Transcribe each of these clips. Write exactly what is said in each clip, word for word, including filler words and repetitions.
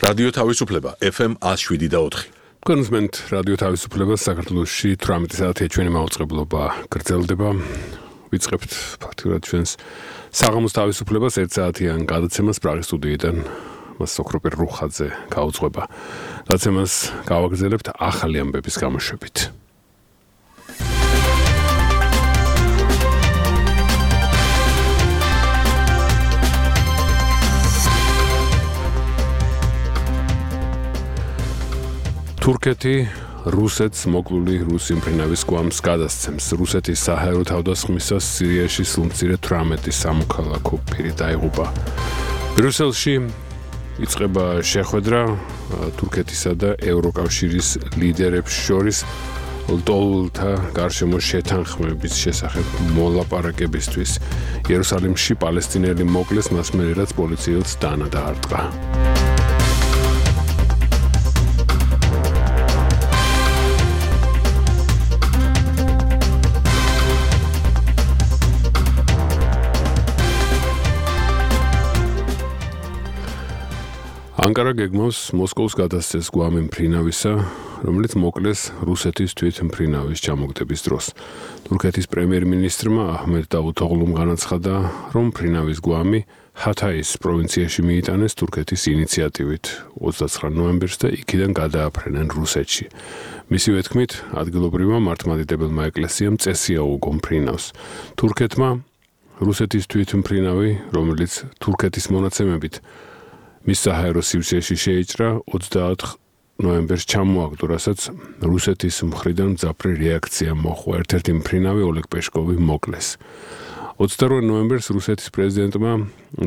რადიო თავისუფლება ეფ ემ one oh seven და four. კონსმენტ რადიო თავისუფლება საქართველოში eighteen საათი ჩვენი მაუწყებლობა გრძელდება. ვიწყებთ ფაქტურად ჩვენს საღამოს თავისუფლებას one საათიან გადაცემას პრაღის სტუდიიდან მას სოქროპერ რუხაძე გაუძღვება. გადაცემას გავაგრძელებთ ახალი ამბების გამოშვებით. თურქეთი რუსეთს მოკლული რუსი მფრინავის გვამს გადასცემს. რუსეთის საჰაერო თავდასხმისას სირიაში სულ eighteen სამოქალაქო პირი დაიღუპა. ბრიუსელში იწყება შეხვედრა თურქეთისა და ევროკავშირის ლიდერებს შორის ლტოლვილთა გარშემო შეთანხმების შესახებ მოლაპარაკებისთვის. იერუსალიმში პალესტინელი მოკლეს მას მერე რაც პოლიციელს დანა დაარტყა. ანკარა გეგმავს მოსკოვს გადასცეს გვამი მფრინავისა, რომელიც მოკლეს რუსეთის თვითმფრინავის ჩამოგდების დროს. თურქეთის პრემიერ-მინისტრმა აჰმედ დავუთოღლუმ განაცხადა, რომ მფრინავის გვამი ჰათაის პროვინციაში მიიტანეს თურქეთის ინიციატივით twenty-nine ნოემბერს და იქიდან გადააფრენენ რუსეთში. მისივე თქმით, ადგილობრივმა მართლმადიდებელმა ეკლესიამ წესი აუგო მფრინავს. თურქეთმა რუსეთის თვითმფრინავი, რომელიც თურქეთის მონაცემებით მის საჰაერო სივრცეში შეიჭრა twenty-eight ნოემბერს ჩამოაგდო, რასაც რუსეთის მხრიდან მძაფრი რეაქცია მოჰყვა. ერთ-ერთი მფრინავი ოლეგ პეშკოვი მოკლეს. twenty-two ნოემბერს რუსეთის პრეზიდენტმა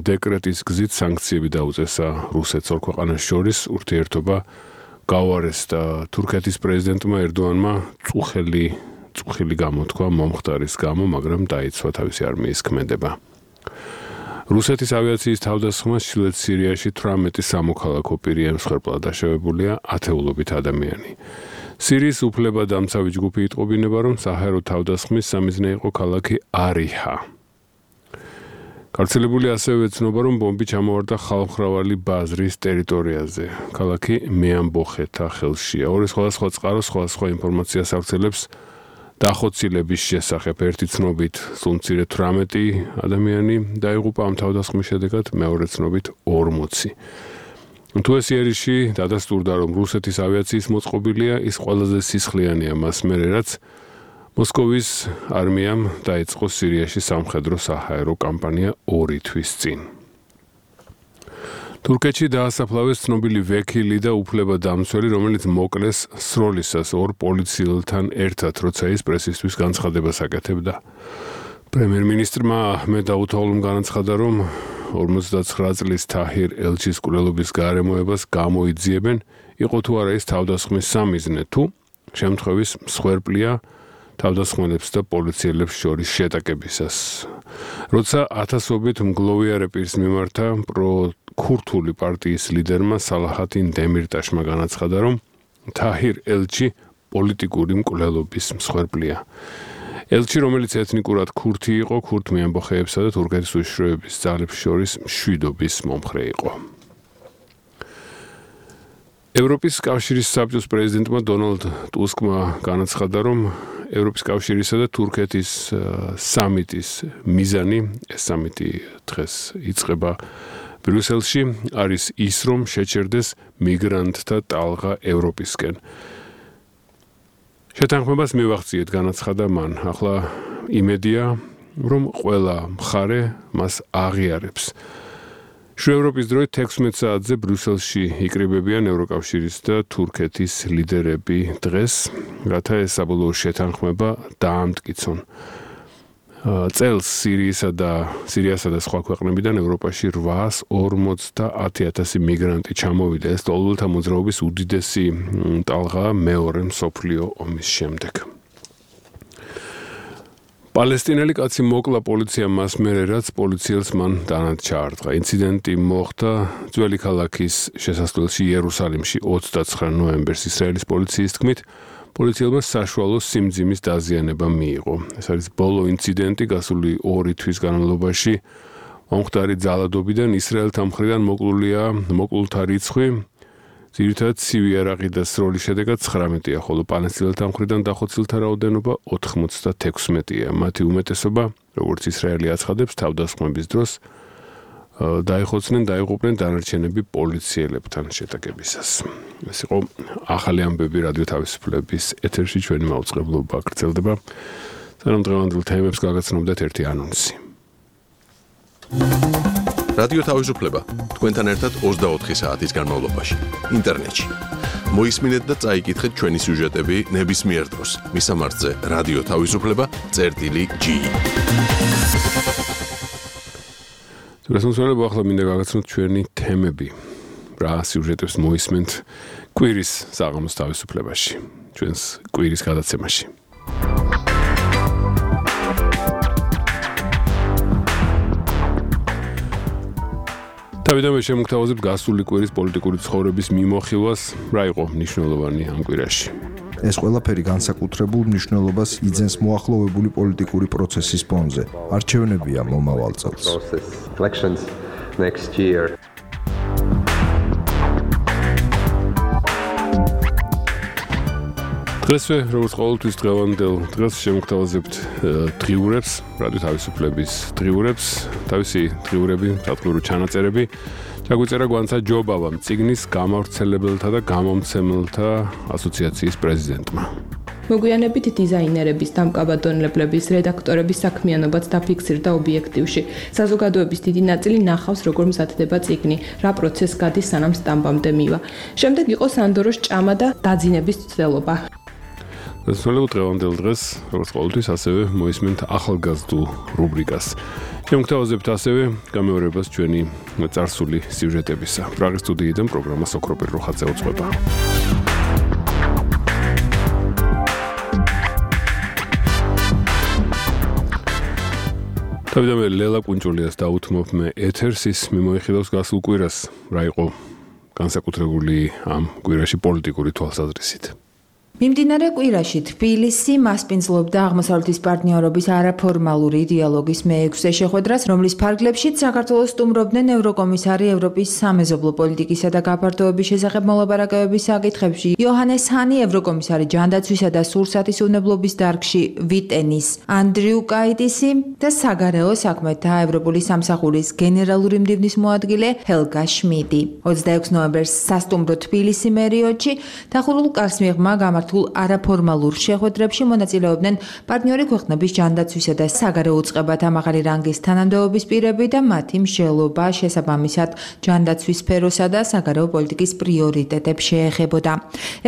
დეკრეტის გზით სანქციები დაუწესა რუსეთს ორ ქვეყანას შორის ურთიერთობა გაუარეს და თურქეთის პრეზიდენტმა ერდოანმა წუხელი წუხილი გამოთქვა მომხდარის გამო, მაგრამ დაიცვა თავისი არმიის ქმედება. რუსეთის ავიაციის თავდასხმას ჩრდილოეთ სირიაში eighteen სამოქალაქო პირი ემსხვერპლა დაშავებულია ათეულობით ადამიანი. სირიის უფლებადამცავი ჯგუფი იტყობინება, რომ საჰაერო თავდასხმის სამიზნე იყო ქალაქი არიჰა. გავრცელებული ასევე ეცნობა, რომ ბომბი ჩამოვარდა ხალხმრავალი ბაზრის ტერიტორიაზე. ქალაქი მეამბოხეთა ხელშია. ორი სხვადასხვა წყარო სხვადასხვა ინფორმაციას ავრცელებს დახოცილების შესახებ. ერთი ცნობით სულ eighteen ადამიანი დაიღუპა ამ თავდასხმის შედეგად, მეორე ცნობით forty. თუ ეს იერიში დადასტურდა, რომ რუსეთის ავიაციის მოწყობილია, ის ყველაზე სისხლიანია მას მერე, რაც მოსკოვის არმიამ დაიწყო სირიაში სამხედრო საჰაერო კამპანია ორი თვის წინ. თურქეთში დაასაფლავეს ცნობილი ვექილი და უფლებადამცველი, რომელიც მოკლეს სროლისას ორ პოლიციელთან ერთად, როცა ის პრესისთვის განცხადებას აკეთებდა. პრემიერ-მინისტრმა აჰმედ დავუთოღლუმ განაცხადა, რომ forty-nine წლის თაჰირ ელჩის კვლელობის გარემოებას გამოიძიებენ, იყო თუ არა ის თავდასხმის სამიზნე, თუ შემთხვევის მსხვერპლია თავდასხმელებს და პოლიციელებს შორის შეტაკებისას. როცა ათასობით მგლოვიარე პირს მიმართა პრო ქურთული პარტიის ლიდერმა სალაჰადინ დემირტაშმა განაცხადა, რომ თაჰირ ელჩი პოლიტიკური მკვლელობის მსხვერპლია. ელჩი, რომელიც ეთნიკურად ქურთი იყო, ქურთ მეამბოხეებსა და თურქეთის უშიშროების ძალებს შორის მშვიდობის მომხრე იყო. ევროპის კავშირის საბჭოს პრეზიდენტმა დონალდ ტუსკმა განაცხადა, რომ ევროპის კავშირისა და თურქეთის სამიტის მიზანი, ეს სამიტი დღეს იწყება ბრიუსელში, არის ის, რომ შეჩერდეს მიგრანტთა ტალღა ევროპისკენ. შეთანხმებას მივახციეთ, განაცხადა მან. ახლა იმედია, რომ ყველა მხარე მას აღიარებს. შუა ევროპის დროით sixteen საათზე ბრიუსელში იკრიბებიან ევროკავშირის და თურქეთის ლიდერები დღეს, რათა ეს საბოლოო შეთანხმება დაამტკიცონ. წელს სირიისა და სირიასა და სხვა ქვეყნებიდან ევროპაში eight hundred forty thousand მიგრანტი ჩამოვიდა. ეს ლტოლვილთა მოძრაობის უდიდესი ტალღაა მეორე მსოფლიო ომის შემდეგ. პალესტინელი კაცი მოკლა პოლიციამ მას მერე, რაც პოლიციელს მან დანად ჩაარტყა. ინციდენტი მოხდა ძველი ქალაქის შესასვლელში იერუსალიმში twenty-nine ნოემბერს. ისრაელის პოლიციის თქმით, პოლიციელმა საშუალო სიმძიმის დაზიანება მიიღო. ეს არის ბოლო ინციდენტი გასული ორი თვის განმავლობაში მომხდარი ძალადობიდან ისრაელთა მხრიდან მოკლულია მოკლულთა რიცხვი ძირითადად ცივი იარაღი და სროლის შედეგად ცხრამეტია, ხოლო პალესტინელთა მხრიდან დახოცილთა რაოდენობა ოთხმოცდათექვსმეტია. მათი უმეტესობა, როგორც ისრაელი აცხადებს, თავდასხმების დროს დაიხოცნენ, დაიღუპნენ დანარჩენები პოლიციელებთან შეტაკებისას. ეს იყო ახალი ამბები რადიო თავისუფლების ეთერში, ჩვენი მაუწყებლობა გრძელდება. სანამ დღევანდელ თემებს გაგაცნობდეთ ერთი ანონსი. რადიო თავისუფლება თქვენთან ერთად ოცდაოთხი საათის განმავლობაში ინტერნეტში. მოისმინეთ და წაიკითხეთ ჩვენი სიუჟეტები ნებისმიერ დროს. მისამართზე რადიო თავისუფლება წერტილი ჯი. რასამსვლელობა ახლა მინდა გაგაცნოთ ჩვენი თემები. რა სიუჟეტებს მოისმენთ კვირის საღამოს თავისუფლებაში, ჩვენს კვირის გადაცემაში. თავიდანვე შემოგთავაზებთ გასული კვირის პოლიტიკური ცხოვრების მიმოხილვას, რა იყო მნიშვნელოვანი ამ კვირაში. ეს ყველაფერი განსაკუთრებულ მნიშვნელობას იძენს მოახლოვებული პოლიტიკური პროცესის ფონზე. არჩევნებია მომავალ წელს. დღესვე, როგორც ყოველთვის დღევანდელ დღეს შემოგთავაზებთ დღიურებს, რადიო თავისუფლების დღიურებს, თავისი დღიურები, სატყურო ჩანაწერები. ჩაგვიწერა გვანცა ჯობავამ წიგნის გამავრცელებელთა და გამომცემელთა ასოციაციის პრეზიდენტმა. მოგვიანებით დიზაინერების, დამკაბადონებლების, რედაქტორების საქმიანობაც დაფიქსირდა ობიექტივში. საზოგადოების დიდი ნაწილი ნახავს, როგორ მზადდება წიგნი, რა პროცესს გადის, სანამ სტამბამდე მივა. შემდეგ იყო სანდოროს ჭამა და დაძინების ცდელობა. დასრულებულ დღევანდელ დღეს, როგორც ყოველთვის, ასევე მოისმენთ ახალგაზრდულ რუბრიკას. შემოგთავაზებთ ასევე გამეორებას ჩვენი წარსული სიუჟეტებისა. პრაღის სტუდიიდან პროგრამა სოკროპერ როხაძე უძღვება. თავიდანვე ლელა კუნჭულიას დაუთმობ მე ეთერს, ის მიმოიხილავს გასულ კვირას, რა იყო განსაკუთრებული ამ კვირაში პოლიტიკური თვალსაზრისით. მიმდინარე კვირაში თბილისი მასპინძლობდა აღმოსავლეთის პარტნიორობის არაფორმალური დიალოგის მეექვსე შეხვედრას, რომლის ფარგლებშიც საქართველოს სტუმრობდნენ ევროკომისარი ევროპის სამეზობლო პოლიტიკისა და გაფართოების შესახებ მოლაპარაკებების საკითხებში, იოჰანეს ჰანი, ევროკომისარი ჯანდაცვისა და სურსათის უნებლობის დარგში ვიტენის ანდრიუ კაიტისი და საგარეო საქმეთა ევროპული სამსახურის გენერალური მდივნის მოადგილე ჰელგა შმიდი. ოცდაექვსი ნოემბერს სასტუმრო თბილისი მერიოტში დახურულ კარს მიღმა გამართულ არაფორმალურ შეხვედრებში მონაწილეობდნენ პარტნიორი ქვეყნების ჯანდაცვისა და საგარეო უწყებათა მაღალი რანგის თანამდებობის პირები და მათი მსჯელობა შესაბამისად ჯანდაცვის სფეროსა და საგარეო პოლიტიკის პრიორიტეტებს შეეხებოდა.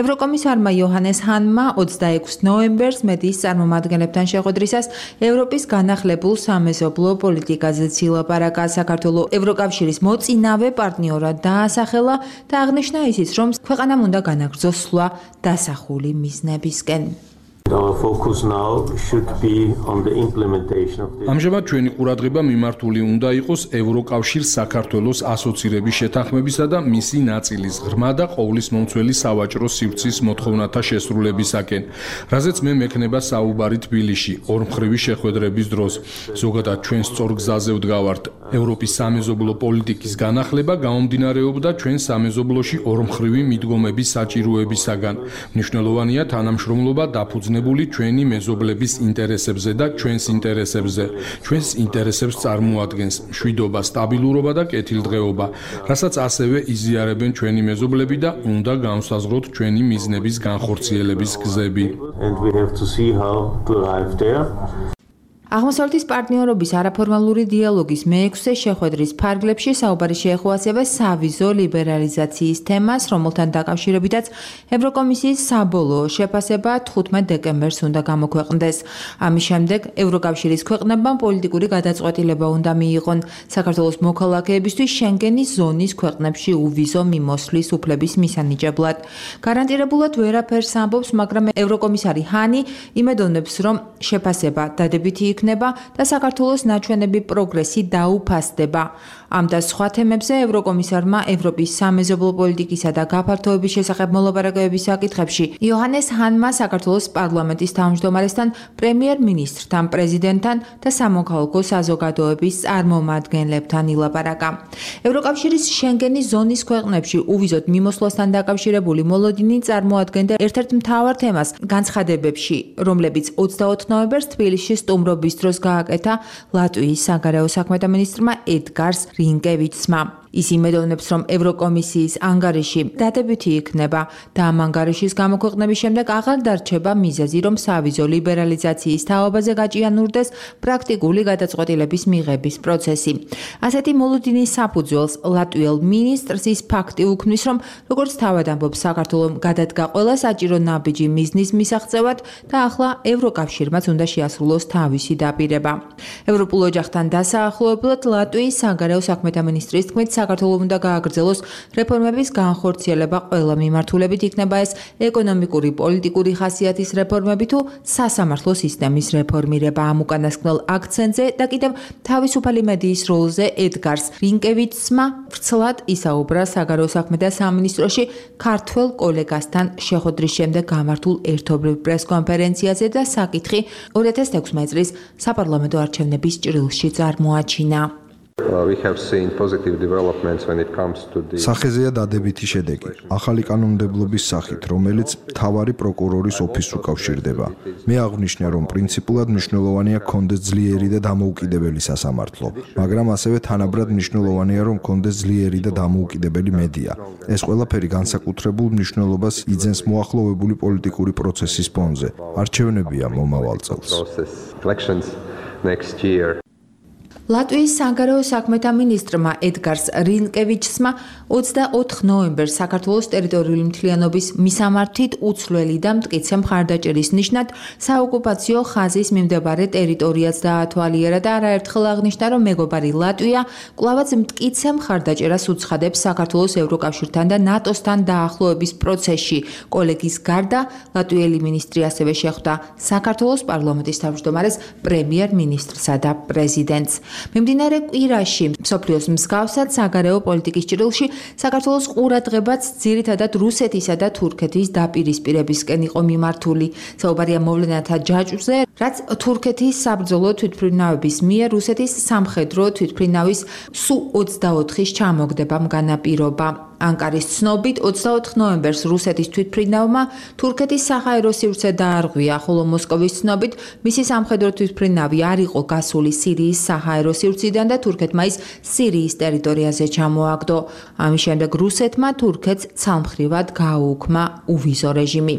ევროკომისარმა იოჰანეს ჰანმა ოცდაექვსი ნოემბერს მედიის წარმომადგენლებთან შეხვედრისას ევროპის განახლებულ სამეზობლო პოლიტიკაზეც ილაპარაკა. საქართველოს ევროკავშირის მოწინავე პარტნიორად დაასახელა და აღნიშნა ისიც, რომ ქვეყანამ უნდა განაგრძოს სვლა დასახული მიზნებისკენ. ამჟამად ჩვენი ყურადღება მიმართული უნდა იყოს ევროკავშირს საქართველოს ასოცირების შეთანხმებისა და მისი ნაწილის ღრმა და ყოვლისმომცველი სავაჭრო სივრცის მოთხოვნათა შესრულებისაკენ, რაზეც მე მექნება საუბარი თბილისში ორმხრივი შეხვედრების დროს. ზოგადად ჩვენ სწორ გზაზე ვდგავართ. ევროპის სამეზობლო პოლიტიკის განახლება გამომდინარეობდა ჩვენ სამეზობლოში ორმხრივი მიდგომების საჭიროებისაგან. მნიშვნელოვანია თანამშრომლობა დაფუძნებული ჩვენი მეზობლების ინტერესებზე და ჩვენს ინტერესებზე. ჩვენს ინტერესებს წარმოადგენს მშვიდობა, სტაბილურობა და კეთილდღეობა, რასაც ასევე იზიარებენ ჩვენი მეზობლები და უნდა განვსაზღვროთ ჩვენი მიზნების განხორციელების გზები. აღმოსავლეთის პარტნიორობის არაფორმალური დიალოგის მეექვსე შეხვედრის ფარგლებში საუბარი შეეხო ასევე სავიზო ლიბერალიზაციის თემას, რომელთან დაკავშირებითაც ევროკომისიის საბოლოო შეფასება თხუთმეტ დეკემბერს უნდა გამოქვეყნდეს. ამის შემდეგ ევროკავშირის ქვეყნებმა პოლიტიკური გადაწყვეტილება უნდა მიიღონ საქართველოს მოქალაქეებისთვის შენგენის ზონის ქვეყნებში უვიზო მიმოსვლის უფლების მისანიჭებლად. გარანტირებულად ვერაფერს ამბობს, მაგრამ ევროკომისარი ჰანი იმედოვნებს, რომ შეფასება დადებითი იქნება და საქართველოს ნაჩვენები პროგრესი დაუფასდება. ამ და სხვა თემებზე ევროკომისარმა ევროპის სამეზობლო პოლიტიკისა და გაფართოების შესახებ მოლაპარაკებების საკითხებში იოჰანეს ჰანმა საქართველოს პარლამენტის თავმჯდომარესთან, პრემიერ-მინისტრთან, პრეზიდენტთან და სამოქალაქო საზოგადოების წარმომადგენლებთან ილაპარაკა. ევროკავშირის შენგენის ზონის ქვეყნებში უვიზოდ მიმოსვლასთან დაკავშირებული მოლოდინი წარმოადგენდა ერთ-ერთ მთავარ თემას განცხადებებში, რომლებიც ოცდაოთხ ნოემბერს თბილისში სტუმრობის დროს გააკეთა ლატვიის საგარეო საქმეთა მინისტრმა ედგარს რინკევიჩსმა. ის იმედოვნებს, რომ ევროკომისიის ანგარიში დადებითი იქნება და ამ ანგარიშის გამოქვეყნების შემდეგ აღარ დარჩება მიზეზი, რომ სავიზო ლიბერალიზაციის თაობაზე გაჭიანურდეს პრაქტიკული გადაწყვეტილების მიღების პროცესი. ასეთი მოლოდინის საფუძველს ლატვიელ მინისტრს ის ფაქტი უქმნის, რომ როგორც თავად ამბობს, საქართველომ გადადგა ყველა საჭირო ნაბიჯი მიზნის მისაღწევად და ახლა ევროკავშირმაც უნდა შეასრულოს თავისი დაპირება. ევროპულ ოჯახთან დასაახლოებლად ლატვიის საგარეო საქმეთა მინისტრის თქმით, საქართველოს უნდა გააგრძელოს რეფორმების განხორციელება ყველა მიმართულებით, იქნება ეს ეკონომიკური, პოლიტიკური ხასიათის რეფორმები თუ სასამართლო სისტემის რეფორმირება. ამ უკანასკნელ აქცენტზე და კიდევ თავისუფალი მედიის როლზე ედგარს რინკევიჩსმა ვრცლად ისაუბრა საგარეო საქმეთა სამინისტროში ქართველ კოლეგასთან შეხვედრის შემდეგ გამართულ ერთობლივ პრესკონფერენციაზე და საკითხი ორი ათას ექვსმეტი წლის საპარლამენტო არჩევნების ჭრილში წარმოაჩინა. სახეზეა დადებითი შედეგი ახალი კანონმდებლობის სახით, რომელიც მთავარი პროკურორის ოფისს უკავშირდება. მე აღვნიშნე, რომ პრინციპულად მნიშვნელოვანია გქონდეს ძლიერი და დამოუკიდებელი სასამართლო, მაგრამ ასევე თანაბრად მნიშვნელოვანია, რომ გქონდეს ძლიერი და დამოუკიდებელი მედია. ეს ყველაფერი განსაკუთრებულ მნიშვნელობას იძენს მოახლოვებული პოლიტიკური პროცესის ფონზე. არჩევნებია მომავალ წელს. ლატვიის საგარეო საქმეთა მინისტრმა ედგარს რინკევიჩსმა ოცდაოთხ ნოემბერს საქართველოს ტერიტორიული მთლიანობის მისამართით უცვლელი და მტკიცე მხარდაჭერის ნიშნად საოკუპაციო ხაზის მიმდებარე ტერიტორიაც დაათვალიერა და არაერთხელ აღნიშნა, რომ მეგობარი ლატვია კვლავაც მტკიცე მხარდაჭერას უცხადებს საქართველოს ევროკავშირთან და ნატოსთან დაახლოების პროცესში. კოლეგის გარდა ლატვიელი მინისტრი ასევე შეხვდა საქართველოს პარლამენტის თავმჯდომარეს, პრემიერ-მინისტრსა და პრეზიდენტს. მიმდინარე კვირაში მსოფლიოს მსგავსად საგარეო პოლიტიკის ჭრილში საქართველოს ყურადღებაც ძირითადად რუსეთისა და თურქეთის დაპირისპირებისკენ იყო მიმართული. საუბარია მოვლენათა ჯაჭვზე, რაც თურქეთის საბრძოლო თვითმფრინავების მიერ რუსეთის სამხედრო თვითმფრინავის სუ ოცდაოთხის ჩამოგდებამ განაპირობა. ანკარის ცნობით ოცდაოთხ ნოემბერს რუსეთის თვითმფრინავმა თურქეთის საჰაერო სივრცე დაარღვია, ხოლო მოსკოვის ცნობით მისი სამხედრო თვითმფრინავი არ იყო გასული სირიის საჰაერო სივრციდან და თურქეთმა ის სირიის ტერიტორიაზე ჩამოაგდო. ამის შემდეგ რუსეთმა თურქეთს ცალმხრივად გააუქმა უვიზო რეჟიმი.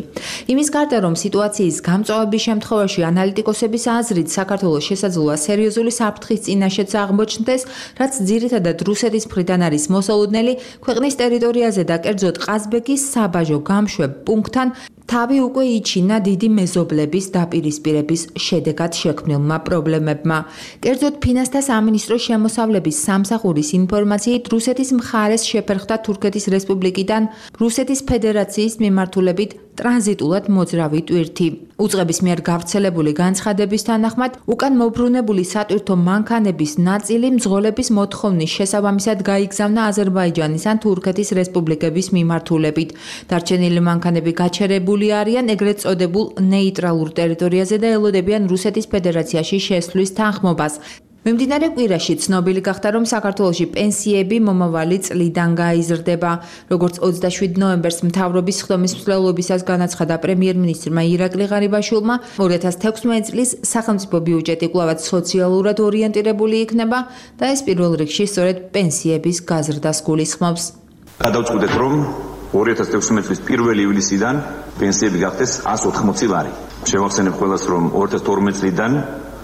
იმის გარდა, რომ სიტუაციის გამწვავების შემთხვევაში ანალიტიკოსების აზრით საქართველოს შესაძლოა სერიოზული საფრთხის წინაშეც აღმოჩნდეს, რაც ძირითადად რუსეთის მხრიდან არის მოსალოდნელი, ქვეყნის ტერიტორიაზე და კერძოდ ყაზბეგის საბაჟო გამშვებ პუნქტთან თავი უკვე იჩინა დიდი მეზობლების დაპირისპირების შედეგად შექმნილმა პრობლემებმა. კერძოდ ფინანსთა სამინისტროს შემოსავლების სამსახურის ინფორმაციით რუსეთის მხარეს შეფერხდა თურქეთის რესპუბლიკიდან რუსეთის ფედერაციის მიმართულებით ტრანზიტულად მოძრავი ტვირთი. უწყების მიერ გავრცელებული განცხადების თანახმად, უკან მობრუნებული სატვირთო მანქანების ნაწილი მძღოლების მოთხოვნის შესაბამისად გაიგზავნა აზერბაიჯანის ან თურქეთის რესპუბლიკების მიმართულებით. დარჩენილი მანქანები გაჩერებული არიან ეგრეთ წოდებულ ნეიტრალურ ტერიტორიაზე და ელოდებიან რუსეთის ფედერაციაში შესვლის თანხმობას. მიმდინარე კვირაში ცნობილი გახდა, რომ საქართველოში პენსიები მომავალი წლიდან გაიზრდება. როგორც ოცდაშვიდ ნოემბერს მთავრობის ხდომის მსვლელობისას განაცხადა პრემიერ-მინისტრმა ირაკლი ღარიბაშვილმა, ორი ათას ექვსმეტი წლის სახელმწიფო ბიუჯეტი კვლავაც სოციალურად ორიენტირებული იქნება და ეს პირველ რიგში სწორედ პენსიების გაზრდას გულისხმობს. გადავწყვიტეთ, რომ ორი ათას ექვსმეტი წლის პირველი ივლისიდან პენსიები გახდეს εκατს ოთხმოცი ლარი. შევახსენებ ყველას, რომ ორი ათას თორმეტი წლიდან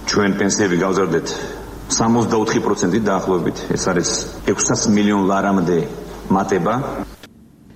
ჩვენ პენსიები გავზარდეთ სამოცდაოთხი პროცენტით დაახლოებით. ეს არის ექვსას მილიონ ლარამდე მატება.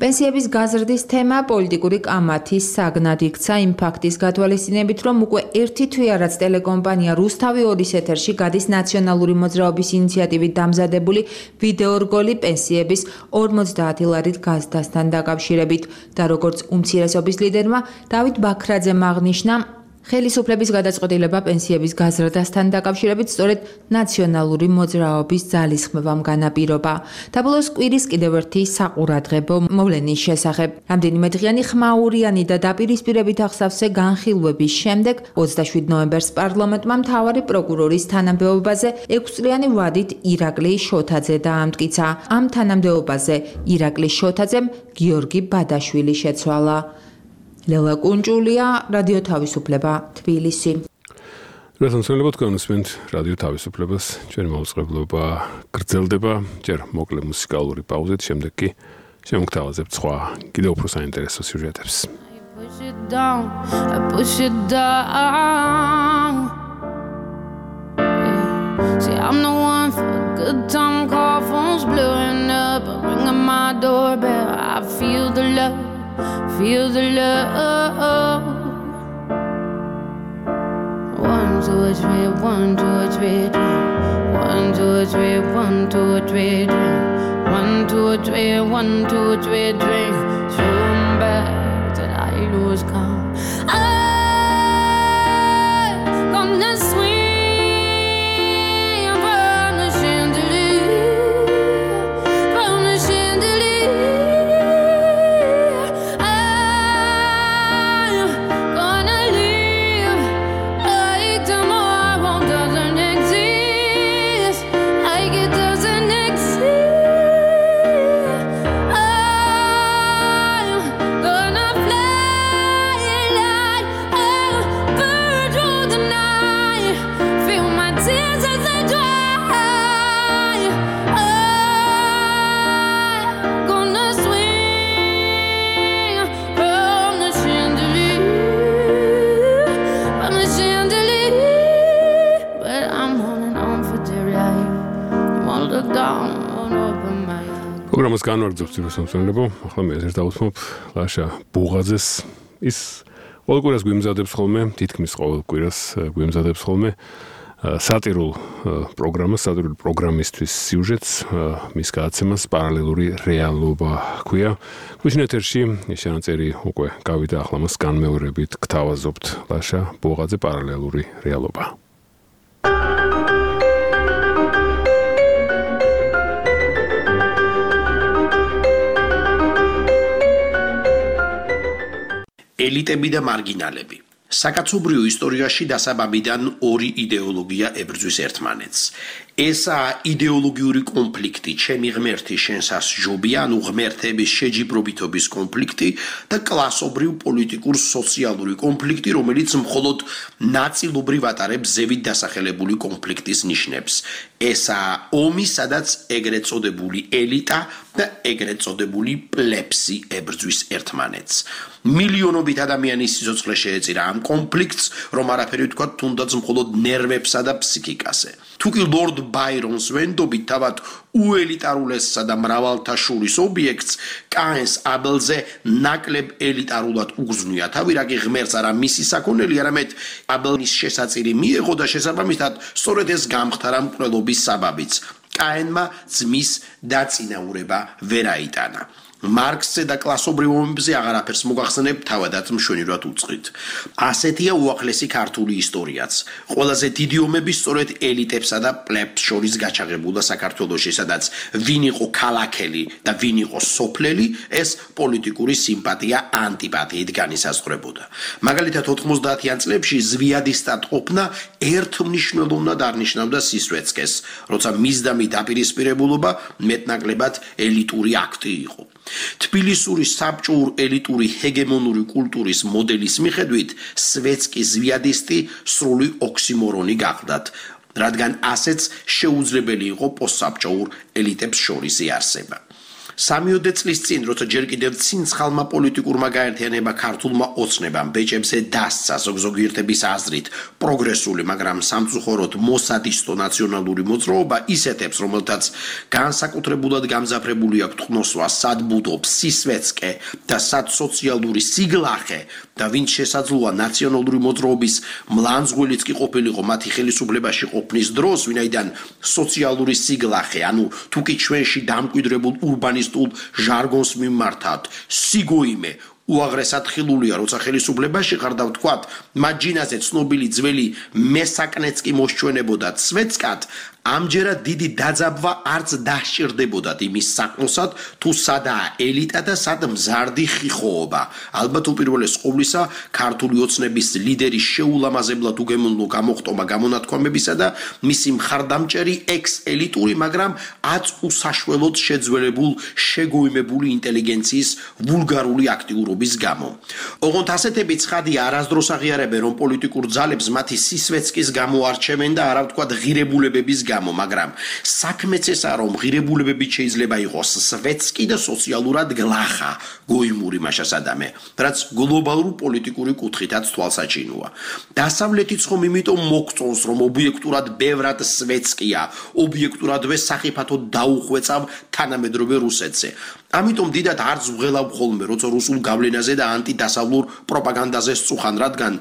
პენსიების გაზრდის თემა პოლიტიკური კამათის საგნად იქცა იმ ფაქტის გათვალისწინებით, რომ უკვე ერთი თვეა, რაც ტელეკომპანია რუსთავი ორის ეთერში გადის ნაციონალური მოძრაობის ინიციატივით დამზადებული ვიდეორგოლი პენსიების ორმოცდაათი ლარით გაზრდასთან დაკავშირებით და როგორც უმცირესობის ლიდერმა დავით ბაქრაძემ აღნიშნა, ხელისუფლების გადაწყვეტილება პენსიების გაზრდასთან დაკავშირებით სწორედ ნაციონალური მოძრაობის ძალისხმევამ განაპირობა. დაბოლოს კვირის კიდევ ერთი საყურადღებო მოვლენის შესახებ. რამდენიმე დღიანი ხმაურიანი და დაპირისპირებით აღსავსე განხილვების შემდეგ ოცდაშვიდ ნოემბერს პარლამენტმა მთავარი პროკურორის თანამდებობაზე ექვსწლიანი ვადით ირაკლი შოთაძე დაამტკიცა. ამ თანამდებობაზე ირაკლი შოთაძემ გიორგი ბადაშვილი შეცვალა. ლელა კუნჭულია, რადიო თავისუფლება, თბილისი. რასამსმელებოდ განვსმენთ რადიო თავისუფლებას, ჩვენი მოუწყებლობა გრძელდება, ჯერ მოკლე მუსიკალური პაუზით, შემდეგ კი შემოგთავაზებთ სხვა კიდევ უფრო საინტერესო სიუჟეტებს. Push it down, I push it down. Yeah. See, I'm the one for a good time, call phones blowing up, I ring on my doorbell, I feel the love. Feel the love. One, two, three, one, two, three, one, two, three, one, two, three, one, two, three, one, two, three, drink. Zoom back till I lose count. I'm gonna swing from the chandelier, from the chandelier. პროგრამას განვაგრძობთ რუსამსმელებო, ახლა მე ერთ დავუთმობ ლაშა ბუღაძეს. ის ყოველ კვირას გვიმზადებს ხოლმე, თითქმის ყოველ კვირას გვიმზადებს ხოლმე სატირულ პროგრამას, სატირული პროგრამისთვის სიუჟეტს, მის გადაცემას პარალელური რეალობა ჰქვია. გვიშინ ეთერში შენაწერი უკვე გავიდა, ახლა მას განმეორებით გთავაზობთ ლაშა ბუღაძე პარალელური რეალობა. ელიტები და მარგინალები. საკაცობრიო ისტორიაში დასაბამიდან ორი იდეოლოგია ებრძვის ერთმანეთს. ესაა იდეოლოგიური კონფლიქტი, ჩემი ღმერთი შენსას ჯობია, ანუ ღმერთების შეჯიბრობითობის კონფლიქტი და კლასობრივ პოლიტიკურ სოციალური კონფლიქტი, რომელიც მხოლოდ ნაწილობრივ ატარებს ზევით დასახელებული კონფლიქტის ნიშნებს. ესაა ომი, სადაც ეგრეთ წოდებული ელიტა და ეგრეთ წოდებული პლებსი ებრძვის ერთმანეთს. მილიონობით ადამიანის სიცოცხლე შეეწირა ამ კონფლიქტს, რომ არაფერი ვთქვა თუნდაც მხოლოდ ნერვებსა და ფსიქიკაზე. თუკი ლორდ ბაირონს ვენდობით თავად უელიტარულესსა და მრავალთაშურის ობიექტს, კაენს აბელზე ნაკლებ ელიტარულად უგზნია თავი, რაგი ღმერთს არა მისი საქონელი, არამედ აბელის შესაწირი მიეღო და შესაბამისად სწორედ ეს გამხდარა მკვლელობის საბაბიც. კაენმა ძმის დაწინაურება ვერ აიტანა. მარქსზე და კლასობრივ ომებზე აღარაფერს მოგახსენებ, თავადაც მშვენივრად უწყით. ასეთია უახლესი ქართული ისტორიაც. ყველაზე დიდი ომები სწორედ ელიტებსა და პლებს შორის გაჩაღებულა საქართველოში, სადაც ვინ იყო ქალაქელი და ვინ იყო სოფლელი, ეს პოლიტიკური სიმპათია ანტიპათიით განისაზღვრებოდა. მაგალითად ოთხმოცდაათიან წლებში ზვიადისტად ყოფნა ერთმნიშვნელოვნად არნიშნავდა სისვეცკეს, როცა მისდამი დაპირისპირებულობა მეტნაკლებად ელიტური აქტი იყო. თბილისური საბჭოურ ელიტური ჰეგემონური კულტურის მოდელის მიხედვით სვეცკი ზვიადისტი სრული ოქსიმორონი გახდათ, რადგან ასეც შეუძლებელი იყო პოსტსაბჭოურ ელიტებს შორის იარსება. სამიოდე წლის წინ, როცა ჯერ კიდევ ცინცხალმა პოლიტიკურმა გაერთიანება ქართულმა ოცნებამ ბეჭებზე დასცა ზოგზოგიერთების აზრით პროგრესული, მაგრამ სამწუხაროდ მოსადისტო ნაციონალური მოძრაობა ისეთებს, რომელთაც განსაკუთრებულად გამძაფრებული აქვთ ყნოსვა, სად ბუდობს სისვეცკე და სად სოციალური სიგლახე და ვინც შესაძლოა ნაციონალური მოძრაობის მლანძღვილიც კი ყოფილიყო მათი ხელისუფლებაში ყოფნის დროს, ვინაიდან სოციალური სიგლახე, ანუ თუკი ჩვენში დამკვიდრებულ ურბანისტ ჟარგონს მიმართავთ, სიგოიმე, უაღრესად ხილულია, როცა ხელისუფლებაში ხარ და ვთქვათ, მათ ჯინაზე ცნობილი ძველი მესაკნეც კი მოსჩვენებოდათ სვეცკად, ამჯერად დიდი დაძაბვა არც დასჭირდებოდათ იმის საქმოსად, თუ სადაა ელიტა და სად მზარდი ხიხოობა. ალბათ უპირველეს ყოვლისა, ქართული ოცნების ლიდერის შეულამაზებლად უგემოვნო გამოხტომა გამონათქვამებისა და მისი მხარდამჭერი ექს-ელიტური, მაგრამ აც უსაშველოდ შეძველებულ, შეგოიმებული ინტელიგენციის ვულგარული აქტიურობის გამო. ოღონდ ასეთები ცხადია არასდროს აღიარებენ, რომ პოლიტიკურ ძალებს მათი სისვეცკის გამო არჩევენ და არა ვთქვათ ღირებულებების გამო, მაგრამ საქმეც ესაა, რომ ღირებულებებით შეიძლება იყოს სვეცკი და სოციალურად გლახა, გოიმური მაშასადამე, რაც გლობალური პოლიტიკური კუთხითაც თვალსაჩინოა. დასავლეთიც ხომ იმიტომ მოგწონს, რომ ობიექტურად ბევრად სვეცკია, ობიექტურადვე სახიფათოდ დაუხვეწავ თანამედროვე რუსეთზე. ამიტომ დიდად არც ვღელავ ხოლმე, როცა რუსულ გავლენაზე და ანტიდასავლურ პროპაგანდაზე სწუხან, რადგან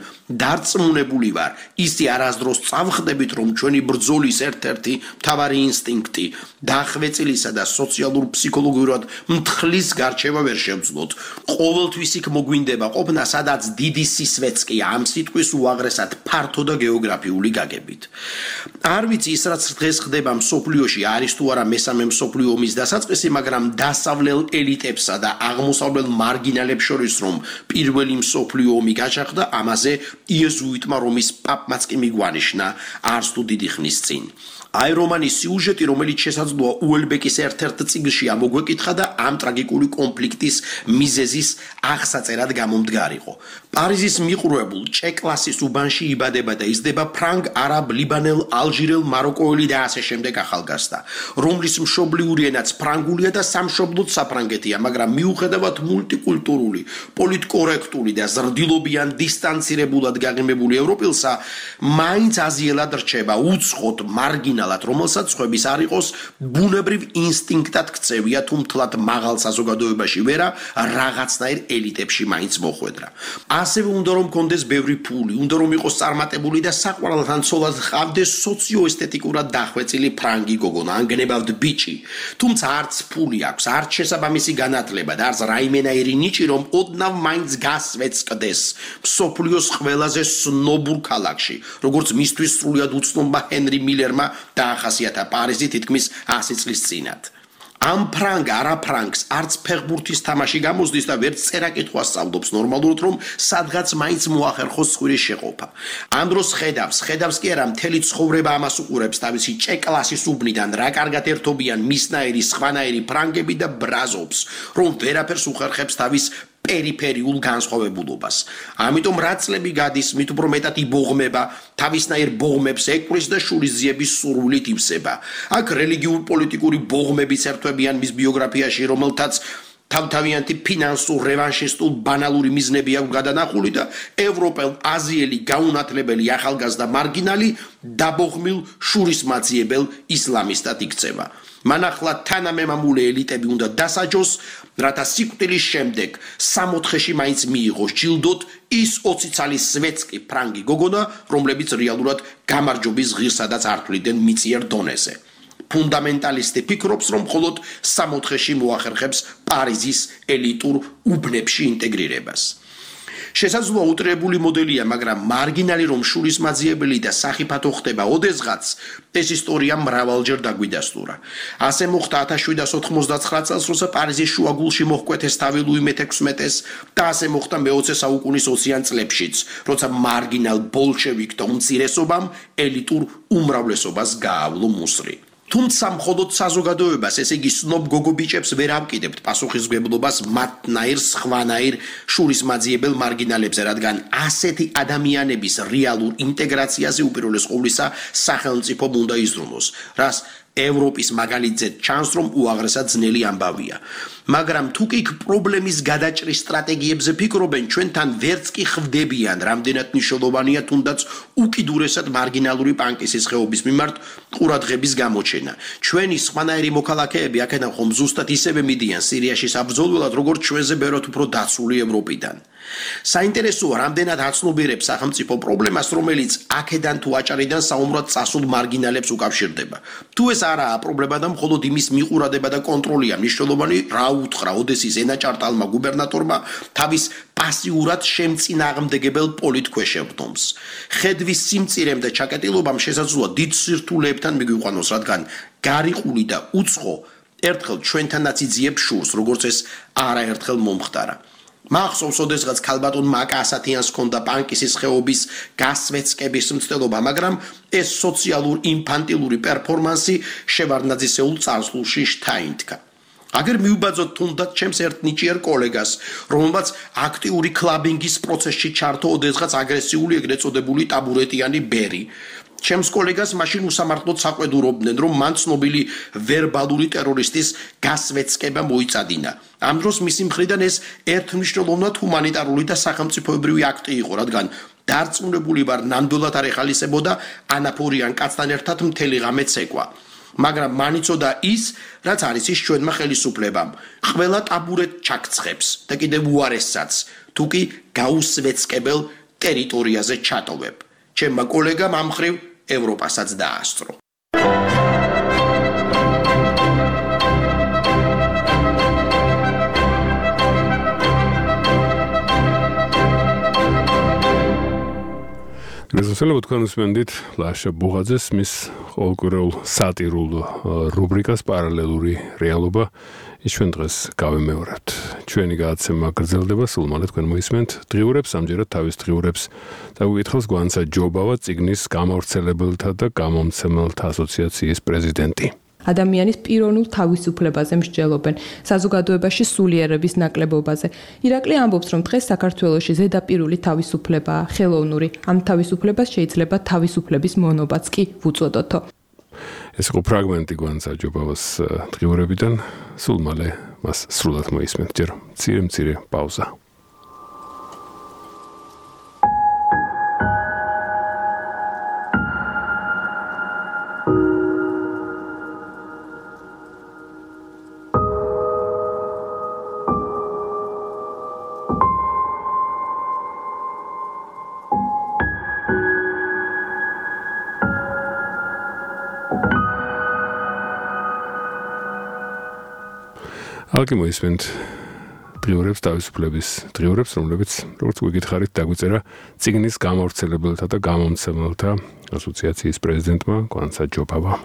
დარწმუნებული ვარ, ისი არასდროს წავხდებით, რომ ჩვენი ბრძოლის ერთ-ერთი მთავარი ინსტინქტი დახვეწილისა და სოციალურ ფსიქოლოგიურად მთხლის გარჩევა ვერ შევძლოთ. ყოველთვის იქ მოგვინდება ყოფნა, სადაც დიდი სისვეცკია, ამ სიტყვის უაღრესად ფართო და გეოგრაფიული გაგებით. არ ვიცი ის რაც დღეს ხდება მსოფლიოში არის თუ არა მესამე მსოფლიო ომის დასაწყისი, მაგრამ დასავლელ ელიტებსა და აღმოსავლელ მარგინალებს შორის რომ პირველი მსოფლიო ომი გაჩაღდა, ამაზე იეზუიტმა რომის პაპმაც კი მიგვანიშნა არც თუ დიდი ხნის წინ. აი რომანის სიუჟეტი, რომელიც შესაძლოა უელბეკის ერთ-ერთ წიგნში ამოგვეკითხა და ამ ტრაგიკული კონფლიქტის მიზეზის აღსაწერად გამომდგარიყო. პარიზის მიყრუებულ ჭე-კლასის უბანში იბადება და იზრდება ფრანგ, არაბ, ლიბანელ, ალჟირელ, მაროკოელი და ასე შემდეგ ახალგაზრდა, რომლის მშობლიური ენაც ფრანგულია და სამშობლოდ საფრანგეთია, მაგრამ მიუხედავად მულტიკულტურული, პოლიტკორექტული და ზრდილობიან დისტანცირებულად გაღიმებული ევროპელსა, მაინც აზიელად რჩება უცხოდ მარგინალ რომელსაც ხვების არ იყოს ბუნებრივ ინსტინქტად ქცევია თუ მთლად მაღალ საზოგადოებაში ვერა რაღაცნაირ ელიტებში მაინც მოხვედრა. ასევე უნდა რომ კონდეს ბევრი ფული, უნდა რომ იყოს წარმატებული და საყვარელთან ცოლად ჰყავდეს სოციოესთეტიკურად დახვეწილი ფრანგი გოგონა, ან გნებავთ ბიჭი. თუმცა არც ფული აქვს, არც შესაბამისი განათლება და არც რაიმენაირი ნიჭი, რომ ოდნავ მაინც გასვეცკდეს მსოფლიოს ყველაზე სნობურ ქალაქში, როგორც მისთვის სრულად უცნობმა ჰენრი მილერმა დაახასიათა პარიზი თითქმის ასი წლის წინათ. ამ ფრანგ არაფრანგს არც ფეხბურთის თამაში გამოსდის და ვერც წერა-კითხვა სწავლობს ნორმალურად, რომ სადღაც მაინც მოახერხოს სხვირის შეყოფა. ამ დროს ხედავს, ხედავს კი არა, მთელი ცხოვრება ამას უყურებს თავისი ჭე-კლასის უბნიდან, რა კარგად ერთობიან მისნაირი, სხვანაირი ფრანგები და ბრაზობს, რომ ვერაფერს უხერხებს თავის პერიფერიულ განსხვავებულობას. ამიტომ რა წლები გადის, მით უფრო მეტად იბოღმება, თავისნაირ ბოღმებს ეკვრის და შურისძიების სურვილით ივსება. აქ რელიგიურ პოლიტიკური ბოღმებიც ერთვებიან მის ბიოგრაფიაში, რომელთაც თავთავიანთი ფინანსურ რევანშისტულ ბანალური მიზნები აქვს გადანახული და ევროპელ, აზიელი, გაუნათლებელი ახალგაზრდა მარგინალი დაბოღმილ შურისმაძიებელ ისლამისტად იქცევა. მან ახლა თანამემამულე ელიტები უნდა დასაჯოს, რათა სიკვდილის შემდეგ სამოთხეში მაინც მიიღოს ჯილდოთ ის ოცი წლის სვეცკი ფრანგი გოგონა, რომლებიც რეალურად გამარჯვების ღირსადაც ართვლიდნენ მიწიერ დონეზე. ფუნდამენტალისტი ფიქრობს, რომ მხოლოდ სამოთხეში მოახერხებს პარიზის ელიტურ უბნებში ინტეგრირებას. შესაძლოა უტრირებული მოდელია, მაგრამ მარგინალი რომ შურისმაძიებელი და სახიფათო ხდება ოდესღაც, ეს ისტორია მრავალჯერ დაგვიდასტურა. ასე მოხდა ათას შვიდსათ ოთხმოცდაცხრა წელს, როცა პარიზის შუაგულში მოჰკვეთეს თავი ლუი მეთექვსმეტეს და ასე მოხდა მეოცე საუკუნის ოციან წლებშიც, როცა მარგინალ ბოლშევიკთა უმცირესობამ ელიტურ უმრავლესობას გაავლო მუსრი. თუმცა მხოლოდ საზოგადოებას, ესე იგი სნობ გოგობიჭებს ვერ ამკიდებთ პასუხისმგებლობას მათნაირ სხვანაირ შურისმაძიებელ მარგინალებზე, რადგან ასეთი ადამიანების რეალურ ინტეგრაციაზე უპირველეს ყოვლისა სახელმწიფომ უნდა იზრუნოს, რას ევროპის მაგალითზე ჩანს, რომ უაღრესად ძნელი ამბავია. მაგრამ თუ კი პრობლემის გადაჭრის სტრატეგიებზე ფიქრობენ, ჩვენთან ვერც კი ხვდებიან, რამდენად მნიშვნელოვანია თუნდაც უკიდურესად მარგინალური პანკისის ხეობის მიმართ ყურადღების გამოჩენა. ჩვენი სხვანაირი მოქალაქეები აქედან ხომ ზუსტად ისევე მიდიან სირიაში საბრძოლველად, როგორც ჩვენზე ბევრად უფრო დაცული ევროპიდან. საინტერესოა, რამდენად აცნობიერებს სახელმწიფო პრობლემას, რომელიც აქედან თუ აჭარიდან საომრად წასულ მარგინალებს უკავშირდება. თუ ეს არაა პრობლემა და მხოლოდ იმის მიყურადება და კონტროლია მნიშვნელოვანი, რა უთხრა ოდესის ენაჭარტალმა გუბერნატორმა თავის პასიურად შემწინააღმდეგებელ პოლიტქვეშებდომს. ხედვის სიმწირემ და ჩაკეტილობამ შესაძლოა დიდ სირთულეებთან მიგვიყვანოს, რადგან გარიყული და უცხო ერთხელ ჩვენთანაც იძიებს შურს, როგორც ეს არაერთხელ მომხდარა. მახსოვს, ოდესღაც ქალბატონ მაკა ასათიანს ჰქონდა პანკისის ხეობის გასვეცკების მცდელობა, მაგრამ ეს სოციალურ ინფანტილური პერფორმანსი შევარდნაძისეულ წარსულში შთაინთქა. აგერ მიუბაძოთ თუნდაც ჩემს ერთ ნიჭიერ კოლეგას, რომელმაც აქტიური კლაბინგის პროცესში ჩართო ოდესღაც აგრესიული ეგრეთ წოდებული ტაბურეტიანი ბერი. ჩემს კოლეგას მაშინ უსამართლოდ საყვედურობდნენ, რომ მან ცნობილი ვერბალური ტერორისტის გასვეცკება მოიწადინა. ამ დროს მისი მხრიდან ეს ერთმნიშვნელოვნად ჰუმანიტარული და სახელმწიფოებრივი აქტი იყო, რადგან დარწმუნებული ვარ, ნამდვილად არ ეხალისებოდა ანაფორიან კაცთან ერთად მთელი ღამე ცეკვა. მაგრამ მან იცოდა ის, რაც არის ის ჩვენმა ხელისუფლებამ. ყველა ტაბურეტ ჩაქცხვებს და კიდევ უარესსაც, თუ კი გაუსვეცკებელ ტერიტორიაზე ჩატოვებ. ჩემმა კოლეგამ ამ მხრივ ევროპასაც დაასწრო. გასასწრებად თქვენ უსმენდით ლაშა ბუღაძეს მის ყოველკვირეულ სატირულ რუბრიკას პარალელური რეალობა. ის ჩვენ დღეს გავემეორებთ. ჩვენი გადაცემა გრძელდება, სულ მალე თქვენ მოისმენთ დღიურებს, ამჯერად თავის დღიურებს დაგვიკითხავს გვანცა ჯობავა, წიგნის გამავრცელებელთა და გამომცემელთა ასოციაციის პრეზიდენტი. ადამიანის პიროვნულ თავისუფლებაზე მსჯელობენ, საზოგადოებაში სულიერების ნაკლებობაზე. ირაკლი ამბობს, რომ დღეს საქართველოში ზედაპირული თავისუფლებაა, ხელოვნური. ამ თავისუფლებას შეიძლება თავისუფლების მონობაც კი ვუწოდოთო. ეს იყო ფრაგმენტი გვანცა ჯობავას დღიურებიდან, სულ მალე მას სრულად მოისმენთ. ჯერ მცირე მცირე პაუზა. ალკი მოისმენთ დღიურებს თავისუფლების დღიურებს, რომლებიც როგორც გვიგითხარით დაგვიწერა წიგნის გამავრცელებელთა და გამომცემელთა ასოციაციის პრეზიდენტმა გვანცა ჯობავამ.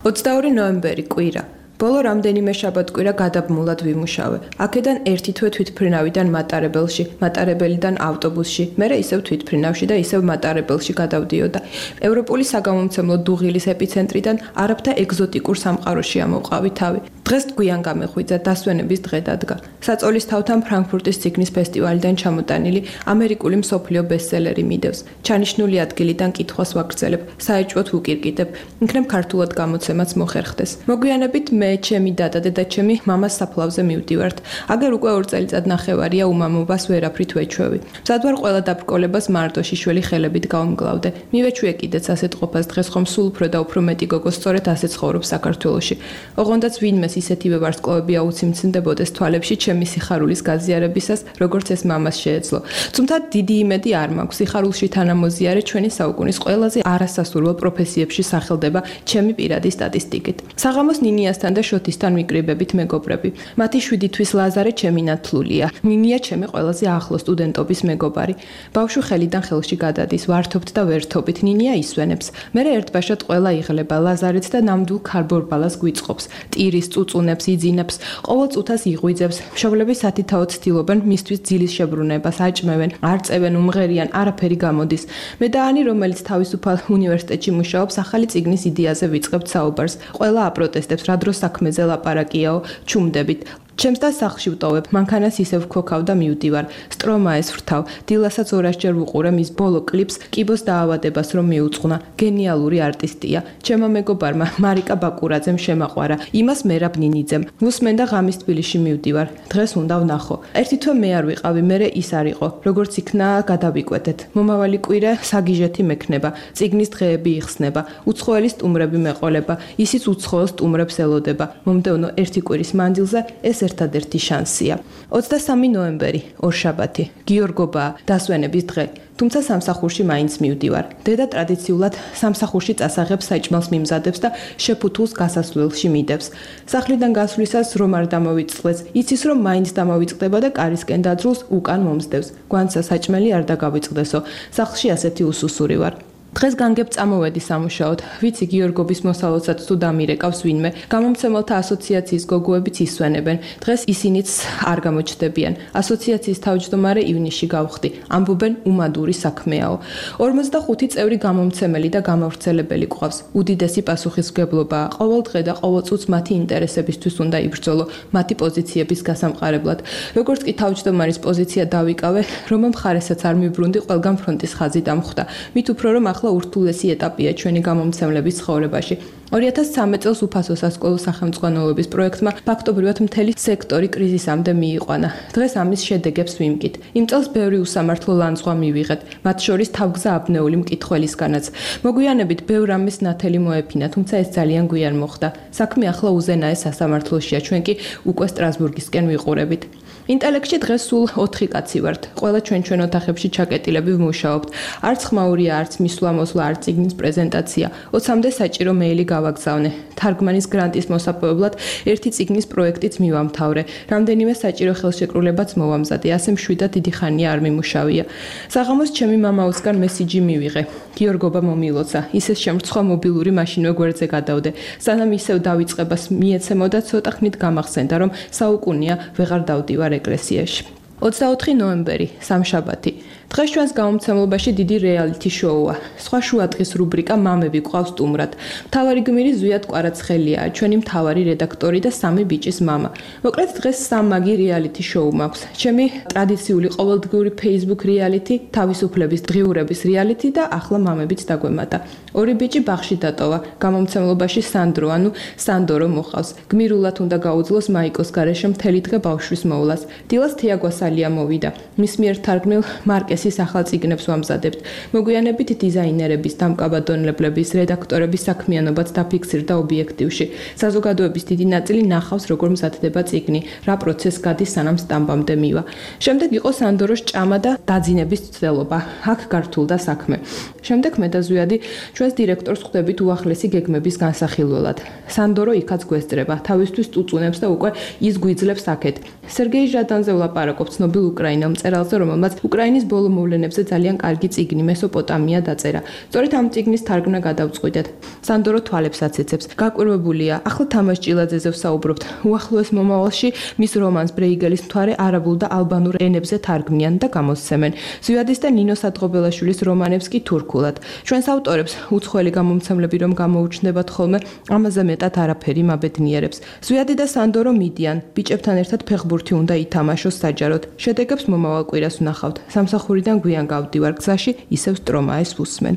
ოცდაორი ნოემბერი კვირა. ბოლო რამდენიმე შაბათ-კვირა გადაბმულად ვიმუშავე. აქედან ერთი თვე თვითმფრინავიდან მატარებელში, მატარებელიდან ავტობუსში, მერე ისევ თვითმფრინავში და ისევ მატარებელში გადავდიოდა. ევროპული საგამომცემლო დუღილის ეპიცენტრიდან არაბთა ეგზოტიკურ სამყაროში ამოვყავი თავი. დღეს გვიან გამეხვიძა დასვენების დღე დადგა. საწოლის თავთან ფრანკფურტის ციგნის ფესტივალიდან ჩამოტანილი ამერიკული მსოფლიო ბესტსელერი მიდევს. ჩანიშნული ადგილიდან კითხვას ვაგრძელებ, საეჭვოდ ვუკირკიტებ, იქნებ ქართულად გამოცემაც მოხერხდეს. მოგვიანებით მე, ჩემი დადა და ჩემი მამას საფლავზე მივდივართ. აგერ უკვე ორ წელიწად ნახევარია უმამობას ვერაფრით ვეჩვევი. მზად ვარ ყველა დაბრკოლებას მარტო შიშველი ხელებით გავმგლავდე. მივეჩვიე კიდეც ასეთ ყოფას დღეს ხომ სულ უფრო და უფრო მეტი გოგო სწორედ ასე ცხოვრობს საქართველოში. ოღონდაც ვინმეს ისეთივე ვარსკვლავები აუციმცნდებოდეს თვალებში ჩემი სიხარულის გაზიარებისას, როგორც ეს მამას შეეძლო. თუმცა დიდი იმედი არ მაქვს. სიხარულში თანამოზიარე ჩვენი საუკუნის ყველაზე არასასურველ პროფესიებში სახელდება ჩემი პირადი სტატისტიკით. საღამოს ნინიასთან და შოთისთან ვიკრიბებით მეგობრები. მათი შვიდი თვის ლაზარე ჩემი ნათლულია. ნინია ჩემი ყველაზე ახლო სტუდენტობის მეგობარი. ბავშვი ხელიდან ხელში გადადის, ვართობთ და ვერთობით. ნინია ისვენებს. მერე ერთბაშად ყველა იღლება, ლაზარეც და ნამდვილ ქარბორბალას გვიწყობს. ტირის წუწუნებს, იძინებს, ყოველ წუთას იღვიძებს. მშობლები სათითაოდ ცდილობენ მისთვის ძილის შებრუნებას, აჭმევენ, არ წევენ, უმღერიან, არაფერი გამოდის. მე და ანი, რომელიც თავისუფალ უნივერსიტეტში მუშაობს, ახალი წიგნის იდეაზე ვიწყებთ საუბარს. ყველა აპროტესტებს, რა დროს საქმეზე ლაპარაკიაო, ჩუმდებით. ჩემს და სახლში ვტოვებ, მანქანას ისევ ვქოქავ და მივდივარ. სტრომაეს ვრთავ, დილასაც ორასჯერ ვუყურე მის ბოლო კლიპს, კიბოს დაავადებას რომ მიუძღვნა. გენიალური არტისტია. ჩემო მეგობარმა მარიკა ბაკურაძემ შემაყვარა. იმას მერაბ ნინიძემ. ვუსმენ და ღამის თბილისში მივდივარ. დღეს უნდა ვნახო. ერთი თვე მე არ ვიყავი, მერე ის არ იყო. როგორც იქნა, გადავიკვეთეთ. მომავალი კვირა საგიჟეთი მექნება. წიგნის დღეები იხსნება. უცხოელი სტუმრები მეყოლება. ისიც უცხოელ სტუმრებს ელოდება. მომდევნო ერთი კვირის მანძილზე ეს ერთადერთი შანსია. ოცდასამი ნოემბერი, ორშაბათი, გიორგობა, დასვენების დღე. თუმცა სამსახურში მაინც მივდივარ. დედა ტრადიციულად სამსახურში წასაღებს საჭმელს მიმზადებს და შეფუთულს გასასვლელში მიდევს. სახლიდან გასვლისას რომ არ დამოვიწყდეს, იცის რომ მაინც დამოვიწყდება და კარისკენ დაძრულს უკან მომსდევს. გვანცა საჭმელი არ დაგავიწყდესო. სახლში ასეთი უსუსური ვარ. დღეს განგებ წამოვედი სამუშაოდ. ვიცი გიორგობის მოსალოდსაც თუ დამირეკავს ვინმე. გამომცემელთა ასოციაციის გოგოებიც ისვენებენ. დღეს ისინიც არ გამოჩნდებიან. ასოციაციის თავმჯდომარე ივნისში გავხდი. ამბობენ უმადური საქმეაო. ორმოცდახუთი წევრი გამომცემელი და გამავრცელებელი ყავს. უდიდესი პასუხისმგებლობაა. ყოველ დღე და ყოველ წუთს მათი ინტერესებისთვის უნდა იბრძოლო, მათი პოზიციების გასამყარებლად. როგორც კი თავმჯდომარის პოზიცია დავიკავე, რომ მხარესაც არ მიბრუნდი, ყველგან ფრონტის ხაზი დამხვდა. მით უფრო რომ ახლა ურთულესი ეტაპია ჩვენი გამომცემლების ცხოვრებაში. ორი ათას სამი წელს უფასო სასკოლო სახელმძღვანელოების პროექტმა ფაქტობრივად მთელი სექტორი კრიზისამდე მიიყვანა. დღეს ამის შედეგებს ვიმკით. იმ წელს ბევრი უსამართლო ლანძღვა მივიღეთ, მათ შორის თავგზა აბნეული მკითხველისგანაც. მოგვიანებით ბევრ ამის ნათელი მოეფინა, თუმცა ეს ძალიან გვიან მოხდა. საქმე ახლა უზენაეს სასამართლოშია, ჩვენ კი უკვე სტრასბურგისკენ ვიყურებით. ინტელექტში დღეს სულ ოთხი კაცი ვართ. ყველა ჩვენ ჩვენ ოთახებში ჩაკეტილები ვმუშაობთ. არც ხმაურია, არც მისვლა-მოსვლა, არც წიგნის პრეზენტაცია. ოცამდე საჭირო მეილი გავაგზავნე. თარგმანის გრანტის მოსაპოვებლად ერთი წიგნის პროექტიც მივამთავრე. რამდენიმე საჭირო ხელშეკრულებაც მოვამზადე. ასე მშვიდად დიდი ხანია არ მიმუშავია. საღამოს ჩემი მამაოსგან მესიჯი მივიღე. გიორგობა მომილოცა. ისე შემრცხვა მობილური მაშინვე გვერდზე გადავდე. სანამ ისევ დავიწყებას მიეცემოდა, ცოტა ხნით გამახსენდა, რომ საუკუნეა ვეღარ დავდივარ ეკლესიაში. ოცდაოთხი ნოემბერი, სამშაბათი. დღეს ჩვენს გამომცემლობაში დიდი რეალიტი შოუა. სხვა შუადღის რუბრიკა მამები ყავს სტუმრად. მთავარი გმირი ზვიად კვარაცხელიაა, ჩვენი მთავარი რედაქტორი და სამი ბიჭის მამა. მოკლედ დღეს სამმაგი რეალიტი შოუ მაქვს. ჩემი ტრადიციული ყოველდღიური Facebook რეალიტი, თავისუფლების დღიურების რეალიტი და ახლა მამებიც დაგვემატა. ორი ბიჭი ბაღში დატოვა. გამომცემლობაში სანდრო, ანუ სანდორო მოხავს. გმირულად უნდა გაუძლოს მაიკოს გარეშე მთელი დღე ბავშვის მოვლას. დილას თიაგვასალია მოვიდა. მის მიერ თარგმნილ მარკესის ახალ წიგნებს ვამზადებთ. მოგვიანებით დიზაინერების, დამკაბადონებლების, რედაქტორების საქმიანობაც დაფიქსირდა ობიექტივში. საზოგადოების დიდი ნაწილი ნახავს, როგორ მზადდება წიგნი, რა პროცესს გადის, სანამ სტამბამდე მივა. შემდეგ იყო სანდოროს ჭამა და დაძინების ცდელობა. აქ გართულდა საქმე. შემდეგ მე და ზვიადი ჩვენს დირექტორს ხვდებით უახლესი გეგმების განსახილველად. სანდორო იქაც გვესწრება, თავისთვის წუწუნებს და უკვე ის გვიძლებს აქეთ. სერგეი ჟადანზე ვლაპარაკობ, ცნობილ უკრაინელ მწერალზე, რომელმაც უკრაინის ბოლო მოვლენებზე ძალიან კარგი წიგნი მესოპოტამია დაწერა. სწორედ ამ წიგნის თარგმნა გადავწყვიტეთ. სანდორო თვალებს აცეცებს. გაკვირვებულია. ახლა თამაშ ჭილაძეზე ვსაუბრობთ. უახლოეს მომავალში მის რომანს ბრეიგელის მთვარე არაბულ და ალბანურ ენებზე თარგმნიან და გამოსცემენ. ზვიადის და ნინო სადღობელაშვილის რომანებს კი თურქულად. ჩვენს ავტორებს უცხოელი გამომცემლები რომ გამოუჩნდებათ ხოლმე, ამაზე მეტად არაფერი მაბედნიერებს. ზვიადი და სანდორო მიდიან. ბიჭებთან ერთად ფეხბურთი უნდა ითამაშოს საჯაროდ. შედეგებს მომავალ კვირას ვნახავთ. სამსახურიდან გვიან გავდივარ, გზაში ისევ სტრომაეს ვუსმენ.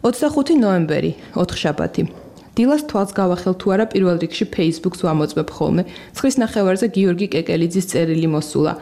ოცდახუთი ნოემბერი, ოთხშაბათი. დილას თვალს გავახელ თუ არა პირველ რიგში Facebook-ს ვამოწმებ ხოლმე. ცხრის ნახევარზე გიორგი კეკელიძის წერილი მოსულა.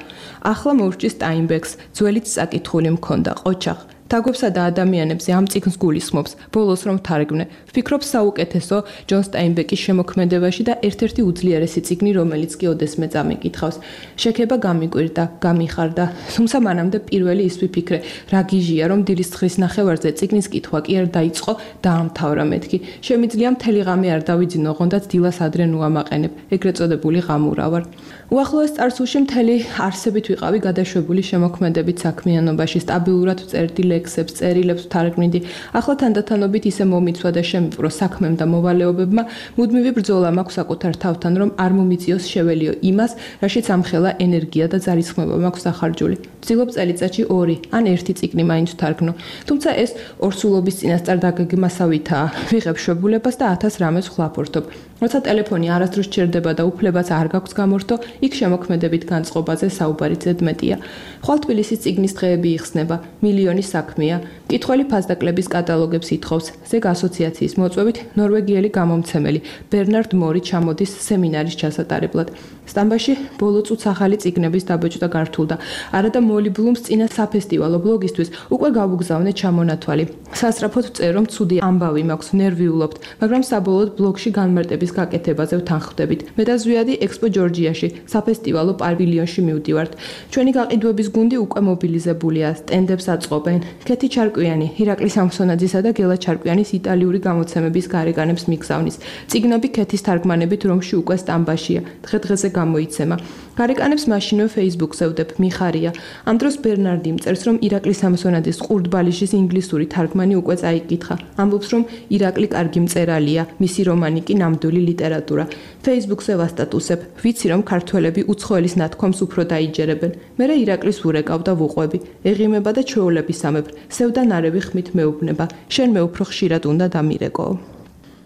ახლა მოვჭი Steinbeck-ს, ძველიც საკითხული მქონდა, ყოჩახ. თაგვებსა და ადამიანებზე ამ წიგნს გულისხმობს, ბოლოს რომ თარგმნე. ვფიქრობ საუკეთესო ჯონ სტაინბეკის შემოქმედებაში და ერთ-ერთი უძლიერესი წიგნი, რომელიც კი ოდესმე წამიკითხავს. შექება გამიკვირდა, გამიხარდა, თუმცა მანამდე პირველი ის ვიფიქრე, რა გიჟია რომ დილის ცხრის ნახევარზე წიგნის კითხვა კი არ დაიწყო, დაამთავრა მეთქი. შემიძლია მთელი ღამე არ დავიძინო, ოღონდაც დილას ადრე ნუამაყენებ, ეგრეთ წოდებული ღამურა ვარ. უახლოეს წარსულში მთელი არსებით ვიყავი გადაშვებული შემოქმედებით საქმიანობაში, სტაბილურად ვწერდი ლექსებს, წერილებს ვთარგმნიდი. ახლა თანდათანობით ისე მომიცვა და შემიპყრო საქმემ და მოვალეობებმა, მუდმივი ბრძოლა მაქვს საკუთარ თავთან, რომ არ მომიწიოს შეველიო იმას, რაშიც ამხელა ენერგია და ძალისხმევა მაქვს სახარჯული. ვცდილობ წელიწადში ორი ან ერთი წიგნი მაინც ვთარგმნო, თუმცა ეს ორსულობის წინასწარ დაგეგმასავითაა. ვიღებ შვებულებას და ათას რამეს ვხლაფორთობ. როცა ტელეფონი არასდროს ჩერდება და უფლებაც არ გაქვს გამორთო, იქ შემოქმედებით განწყობაზე საუბარი ზედმეტია. ხვალ თბილისის წიგნის დღეები იხსნება, მილიონი საქმე საქმეა. მკითხველი ფასდაკლების კატალოგებს ითხოვს. ზეგ ასოციაციის მოწვევით ნორვეგიელი გამომცემელი ბერნარდ მორი ჩამოდის სემინარის ჩასატარებლად. სტამბაში ბოლო წუთს ახალი წიგნების დაბეჭდა გართულდა. არადა მოლი ბლუმს წინა საფესტივალო ბლოგისთვის უკვე გავუგზავნე ჩამონათვალი. სასწრაფოდ წერ რომ ცუდი ამბავი მაქვს, ნერვიულობთ, მაგრამ საბოლოოდ ბლოგში განმარტების გაკეთებაზე ვთანხმდებით. მე და ზვიადი ექსპო ჯორჯიაში საფესტივალო პავილიონში მივდივართ. ჩვენი გაყიდვების გუნდი უკვე მობილიზებულია, სტენდებს აწყობენ. ქეთი ჩარკვიანი, ირაკლი სამსონაძისა და გელა ჩარკვიანის იტალიური გამოცემების გარეგანებს მიგზავნის. წიგნები ქეთის თარგმანებით რომში უკვე სტამბაშია. დღე-დღეზე გამოიცემა. გარეკანებს მაშინვე Facebook-ზე ვდებ, მიხარია. ამ დროს ბერნარდი მწერს, რომ ირაკლი სამსონაძის ყურდბალიშის ინგლისური თარგმანი უკვე წაიკითხა. ამბობს, რომ ირაკლი კარგი მწერალია, მისი რომანი კი ნამდვილი ლიტერატურა. Facebook-ზე ვასტატუსებ, ვიცი რომ ქართველები უცხოელის ნათქვამს უფრო დაიჯერებენ. მერე ირაკლის ვურეკავ და ვუყვები. ეღიმება და ჩვეულების ამებ, სევდა ნარევი ხმით მეუბნება. შენ მე უფრო ხშირად უნდა დამირეკო.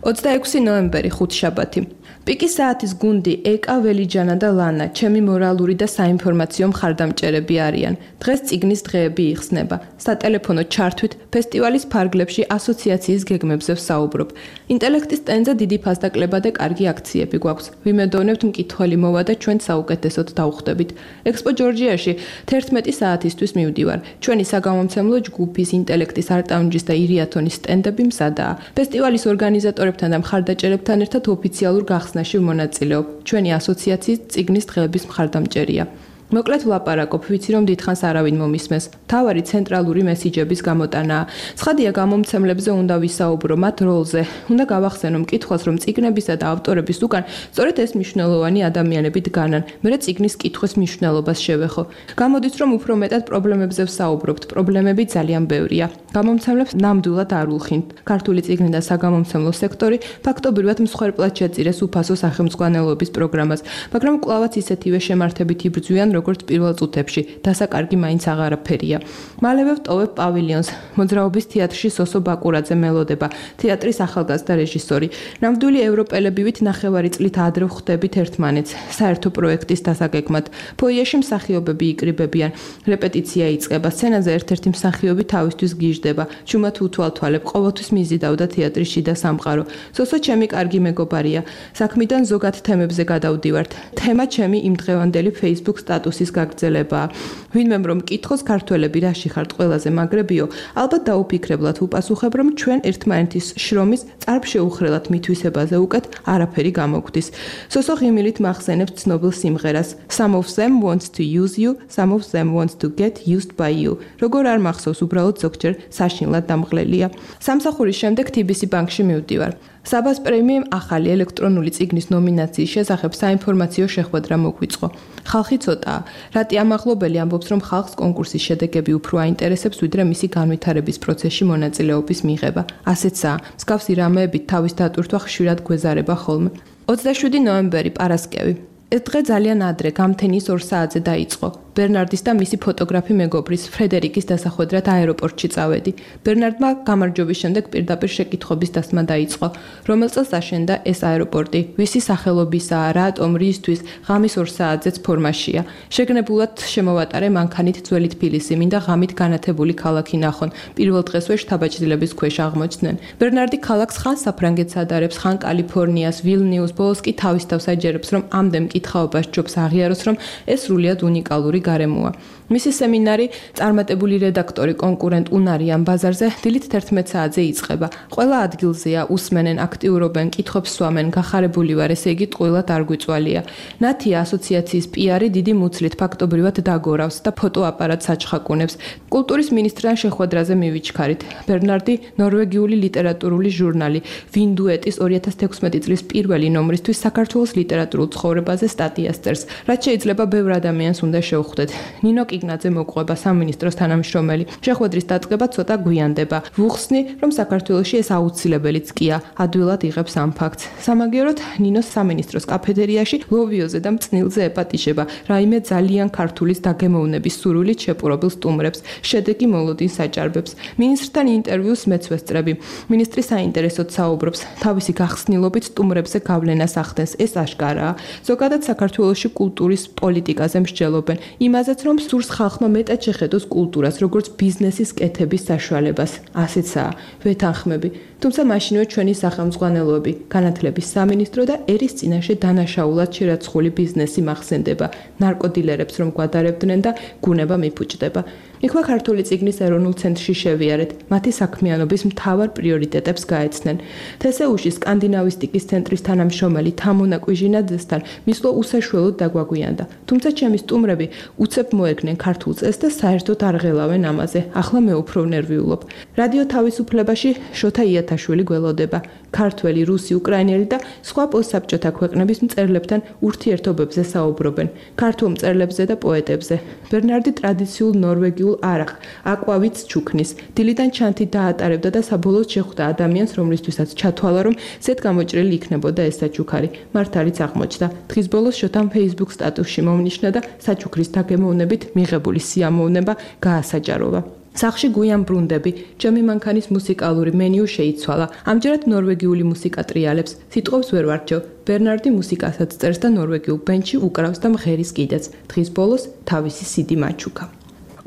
ოცდაექვსი ნოემბერი, ხუთშაბათი. პიკის საათის გუნდი ეკა, ველიჯანა და ლანა, ჩემი მორალური და საინფორმაციო მხარდამჭერები არიან. დღეს წიგნის დღეები იხსნება. სატელეფონო ჩართვით ფესტივალის ფარგლებში ასოციაციის გეგმებზე ვსაუბრობ. ინტელექტის სტენდზე დიდი ფასდაკლება და კარგი აქციები გვაქვს. ვიმედოვნებთ მკითხველი მოვა და ჩვენ საუკეთესოდ დავხვდებით. ექსპო ჯორჯიაში თერთმეტი საათისთვის მივდივარ. ჩვენი საგამომცემლო ჯგუფის ინტელექტის არტაუნჯის და ირიათონის სტენდები მზადაა. ფესტივალის ორგანიზატორებთან და მხარდაჭერებთან ერთად ოფიციალურ გახსნაში ვმონაწილეობ. ჩვენი ასოციაციის წიგნის დღეების მხარდამჭერია. მოკლედ ვლაპარაკობ, ვიცი რომ დიდხანს არავინ მომისმენს. მთავარი ცენტრალური მესიჯების გამოტანაა. ცხადია გამომცემლებზე უნდა ვისაუბრო მათ როლზე. უნდა გავახსენო მკითხვას, რომ წიგნებისა და ავტორების უკან სწორედ ეს მნიშვნელოვანი ადამიანები დგანან. მერე წიგნის კითხვის მნიშვნელობას შევეხო. გამოდის, რომ უფრო მეტად პრობლემებზე ვსაუბრობთ. პრობლემები ძალიან ბევრია. გამომცემლებს ნამდვილად არ ულხინთ. ქართული წიგნი და საგამომცემლო სექტორი ფაქტობრივად მსხვერპლად შეწირეს უფასო სახელმძღვანელოების პროგრამას, მაგრამ კვლავაც ისეთივე შემართებით იბრძვიან როგორც პირველ წუთებში, დასაკარგი მაინც აღარაფერია. მალევე ვტოვებ პავილიონს. მოძრაობის თეატრში სოსო ბაკურაძე მელოდება, თეატრის ახალგაზრდა რეჟისორი. ნამდვილი ევროპელებივით ნახევარი წლით ადრე ვხვდებით ერთმანეთს, საერთო პროექტის დასაგეგმად. ფოიეში მსახიობები იკრიბებიან, რეპეტიცია იწყება, სცენაზე ერთ-ერთი მსახიობი თავისთვის გიждდება. ჩუმად უთვალთვალებ, ყოველთვის მიზიდავდა თეატრის შიდა სამყარო. სოსო ჩემი კარგი მეგობარია. საქმიდან ზოგად თემებზე გადავდივართ. თემა ჩემი იმდღევანდელი Facebook სტატუსის გაგრძელებაა. ვინმემ რომ მკითხოს ქართველები რაში ხართ ყველაზე მაგრებიო, ალბათ დაუფიქრებლად უპასუხებ, რომ ჩვენ ერთმანეთის შრომის წარბშეუხრელად მითვისებაზე უკეთ არაფერი გამოგვდის. სოსო ღიმილით მახსენებს ცნობილ სიმღერას. Some of them wants to use you, some of them wants to get used by you. როგორ არ მახსოვს, უბრალოდ ზოგჯერ საშინლად დამღლელია. სამსახურის შემდეგ თი ბი სი ბანკში მივდივარ. საბას პრემიამ ახალი ელექტრონული წიგნის ნომინაციის შესახებ საინფორმაციო შეხვედრა მოგვიწყო. ხალხი ცოტაა. რატი ამაღლობელი ამბობს, რომ ხალხს კონკურსის შედეგები უფრო აინტერესებს, ვიდრე მისი განვითარების პროცესში მონაწილეობის მიღება. ასეცაა. მსგავსი რამეებით თავის დატვირთვა ხშირად გვეზარება ხოლმე. ოცდაშვიდი ნოემბერი, პარასკევი. ეს დღე ძალიან ადრე, გამთენის ორ საათზე დაიწყო. ბერნარდის და მისი ფოტოგრაფი მეგობრის ფრედერიკის დასახვედრად აეროპორტში წავედი. ბერნარდმა გამარჯვების შემდეგ პირდაპირ შეკითხვების დასმა დაიწყო. რომელ წელს აშენდა ეს აეროპორტი? ვისი სახელობისაა, რატომ, რისთვის? ღამის ორ საათზეც ფორმაშია. შეგნებულად შემოვატარე მანქანით ძველი თბილისი, მინდა ღამით განათებული ქალაქი ნახონ. პირველ დღესვე შთაბეჭდილების ქვეშ აღმოჩნდნენ. ბერნარდი ქალაქს ხან საფრანგეთს ადარებს, ხან კალიფორნიას, ვილნიუს, ბოლოს კი თავის თავს აჯერებს, რომ ამდენ მკითხაობას ჯობს აღიაროს, რომ ეს სრულიად უნიკალური გარემოა. მისი სემინარი წარმატებული რედაქტორი კონკურენტ უნარიან ბაზარზე დილით თერთმეტ საათზე იწყება. ყველა ადგილზეა, უსმენენ, აქტიურობენ, კითხვებს სვამენ, გახარებული ვარ, ესე იგი ტყუილად არ გვიწვალია. ნათია ასოციაციის პიარი დიდი მუცლით ფაქტობრივად დაგორავს და ფოტოაპარატს აჩხაკუნებს. კულტურის მინისტრთან შეხვედრაზე მივიჩქარით. ბერნარდი ნორვეგიული ლიტერატურული ჟურნალი ვინდუეტის ორი ათას თექვსმეტი წლის პირველი ნომრისთვის საქართველოს ლიტერატურულ ცხოვრებაზე სტატიას წერს, რაც შეიძლება ბევრ ადამიანს უნდა შევხვდეთ. ნინო კიგნაძე მოყვება სამინისტროს თანამშრომელი. შეხვედრის დაწყება ცოტა გვიანდება. ვუხსნი, რომ საქართველოში ეს აუცილებელიც კია, ადვილად იღებს ამ ფაქტს. სამაგიეროდ ნინოს სამინისტროს კაფედერიაში ლოვიოზე და მწნილზე ეპატიჟება, რაიმე ძალიან ქართულის დაგემოვნების სურვილით შეპყრობილ სტუმრებს, შედეგი მოლოდინს აჭარბებს. მინისტრთან ინტერვიუს მეც ვესწრები. მინისტრი საინტერესოდ საუბრობს, თავისი გახსნილობით სტუმრებზე გავლენას ახდენს, ეს აშკარაა. ზოგადად საქართველოში კულტურის პოლიტიკაზე მსჯელობენ. იმაზეც, რომ სურს ხალხმა მეტად შეხედოს კულტურას, როგორც ბიზნესის კეთების საშუალებას. ასეცაა ვეთანხმები. თუმცა მაშინვე ჩვენი სახელმძღვანელოები, განათლების სამინისტრო და ერის წინაშე დანაშაულად შერაცხული ბიზნესი მახსენდება, ნარკოდილერებს რომ გვადარებდნენ და გუნება მიფუჭდება. იქმა ქართული წიგნის ეროვნულ ცენტრში შევიარეთ, მათი საქმიანობის მთავარ პრიორიტეტებს გაეცნენ. თესეუში სკანდინავისტიკის ცენტრის თანამშრომელი თამონა კვიჟინაძესთან მისვლა უსაშველოდ დაგვაგვიანდა. თუმცა ჩემი სტუმრები უცებ მოერგნენ ქართულ წესს და საერთოდ არ ღელავენ ამაზე. ახლა მე უფრო ნერვიულობ. რადიო თავისუფლებაში შოთა იათაშვილი გველოდება. ქართველი, რუსი, უკრაინელი და სხვა პოსტსაბჭოთა ქვეყნების მწერლებთან ურთიერთობებზე საუბრობენ. ქართულ მწერლებზე და პოეტებზე. ბერნარდი ტრადიციულ ნორვეგიულ არახ, აკვავიც ჩუქნის. დილიდან ჩანთი დაატარებდა და საბოლოოდ შეხვდა ადამიანს, რომლისთვისაც ჩათვალა, რომ ზედ გამოჭრილი იქნებოდა ეს საჩუქარი. მართალიც აღმოჩნდა. დღის ბოლოს შოთამ Facebook სტატუსში მომნიშნა და საჩუქრის დაგემოვნებით მიღებული სიამოვნება გაასაჯაროვა. სახში გვიან ბრუნდები, ჩემი მანქანის მუსიკალური მენიუ შეიცვალა. ამჯერად ნორვეგიული მუსიკა ტრიალებს, სიტყვებს ვერ ვარჩევ. ბერნარდი მუსიკასაც წერს და ნორვეგიულ ბენდში უკრავს და მღერის კიდეც. დღის ბოლოს თავისი სიდი მაჩუქა.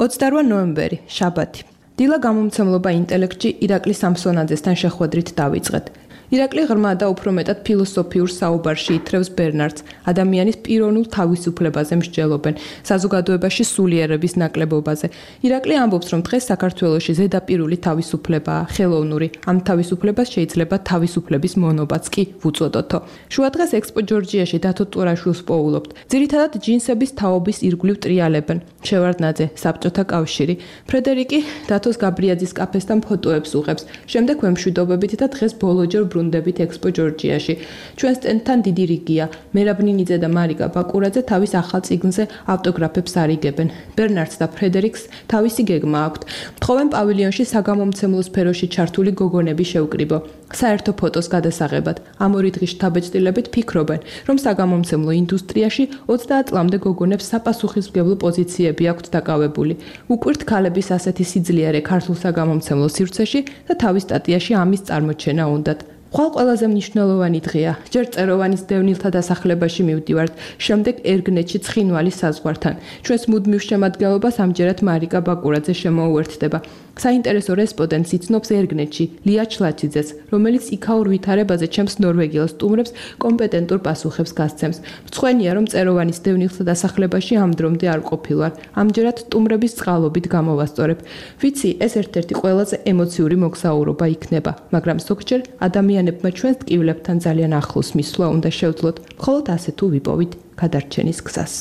ოცდაოთხი ნოემბერი, შაბათი. დილა გამომცემლობა ინტელექტში ირაკლი სამსონაძესთან შეხვედრით დავიწყეთ. ირაკლი ღრმა და უფრო მეტად ფილოსოფიურ საუბარში ითრევს ბერნარდს, ადამიანის პიროვნულ თავისუფლებაზე მსჯელობენ, საზოგადოებაში სულიერების ნაკლებობაზე. ირაკლი ამბობს, რომ დღეს საქართველოში ზედაპირული თავისუფლებაა, ხელოვნური. ამ თავისუფლებას შეიძლება თავისუფლების მონობაც კი ვუწოდოთო. შუადღეს ექსპო ჯორჯიაში დათო ტურაშვილს პოულობთ. ძირითადად ჯინსების თაობის ირგვლივ ტრიალებენ. შევარდნაძე, საბჭოთა კავშირი. ფრედერიკი დათოს გაბრიაძის კაფესთან ფოტოებს უღებს. შემდეგ ვემშვიდობებით და დღეს ბოლოჯერ ბრუნდებით ექსპო ჯორჯიაში. ჩვენ სტენდთან დიდი რიგია. მერაბნინიძე და მარიკა ბაკურაძე თავის ახალ წიგნზე ავტოგრაფებს არიგებენ. ბერნარდს და ფრედერიკს თავისი გეგმა აქვთ. თხოვენ პავილიონში საგამომცემლო სფეროში ჩართული გოგონები შევკრიბო. საერთო ფოტოს გადასაღებად ამ ორი დღის შთაბეჭდილებით ფიქრობენ, რომ საგამომცემლო ინდუსტრიაში ოცდაათ წლამდე გოგონებს საპასუხისმგებლო პოზიციები აქვთ დაკავებული. უკვირთ ქალების ასეთი სიძლიერე ქართულ საგამომცემლო სივრცეში და თავის სტატიაში ამის წარმოჩენა უნდათ. ხვალ ყველაზე მნიშვნელოვანი დღეა. ჯერ წეროვანის დევნილთა დასახლებაში მივდივართ, შემდეგ ერგნეთში ცხინვალის საზღვართან. ჩვენს მუდმივ შემადგენლობას ამჯერად მარიკა ბაკურაძე შემოუერთდება. საინტერესო რესპონდენტს იცნობს ერგნეთში ლია ჩლაჩიძეს, რომელიც იქაურ ვითარებაზე ჩემს ნორვეგიელ სტუმრებს კომპეტენტურ პასუხებს გასცემს. მწვენია, რომ წეროვანის დევნილთა დასახლებაში ამ დრომდე არ ყოფილვარ. ამჯერად სტუმრების წყალობით გამოვასწორებ. ვიცი, ეს ერთ-ერთი ყველაზე ემოციური მოგზაურობა იქნება, მაგრამ ზოგჯერ ადამიანებმა ჩვენს ტკივილებთან ძალიან ახლოს მისვლა უნდა შევძლოთ, მხოლოდ ასე თუ ვიპოვით გადარჩენის გზას.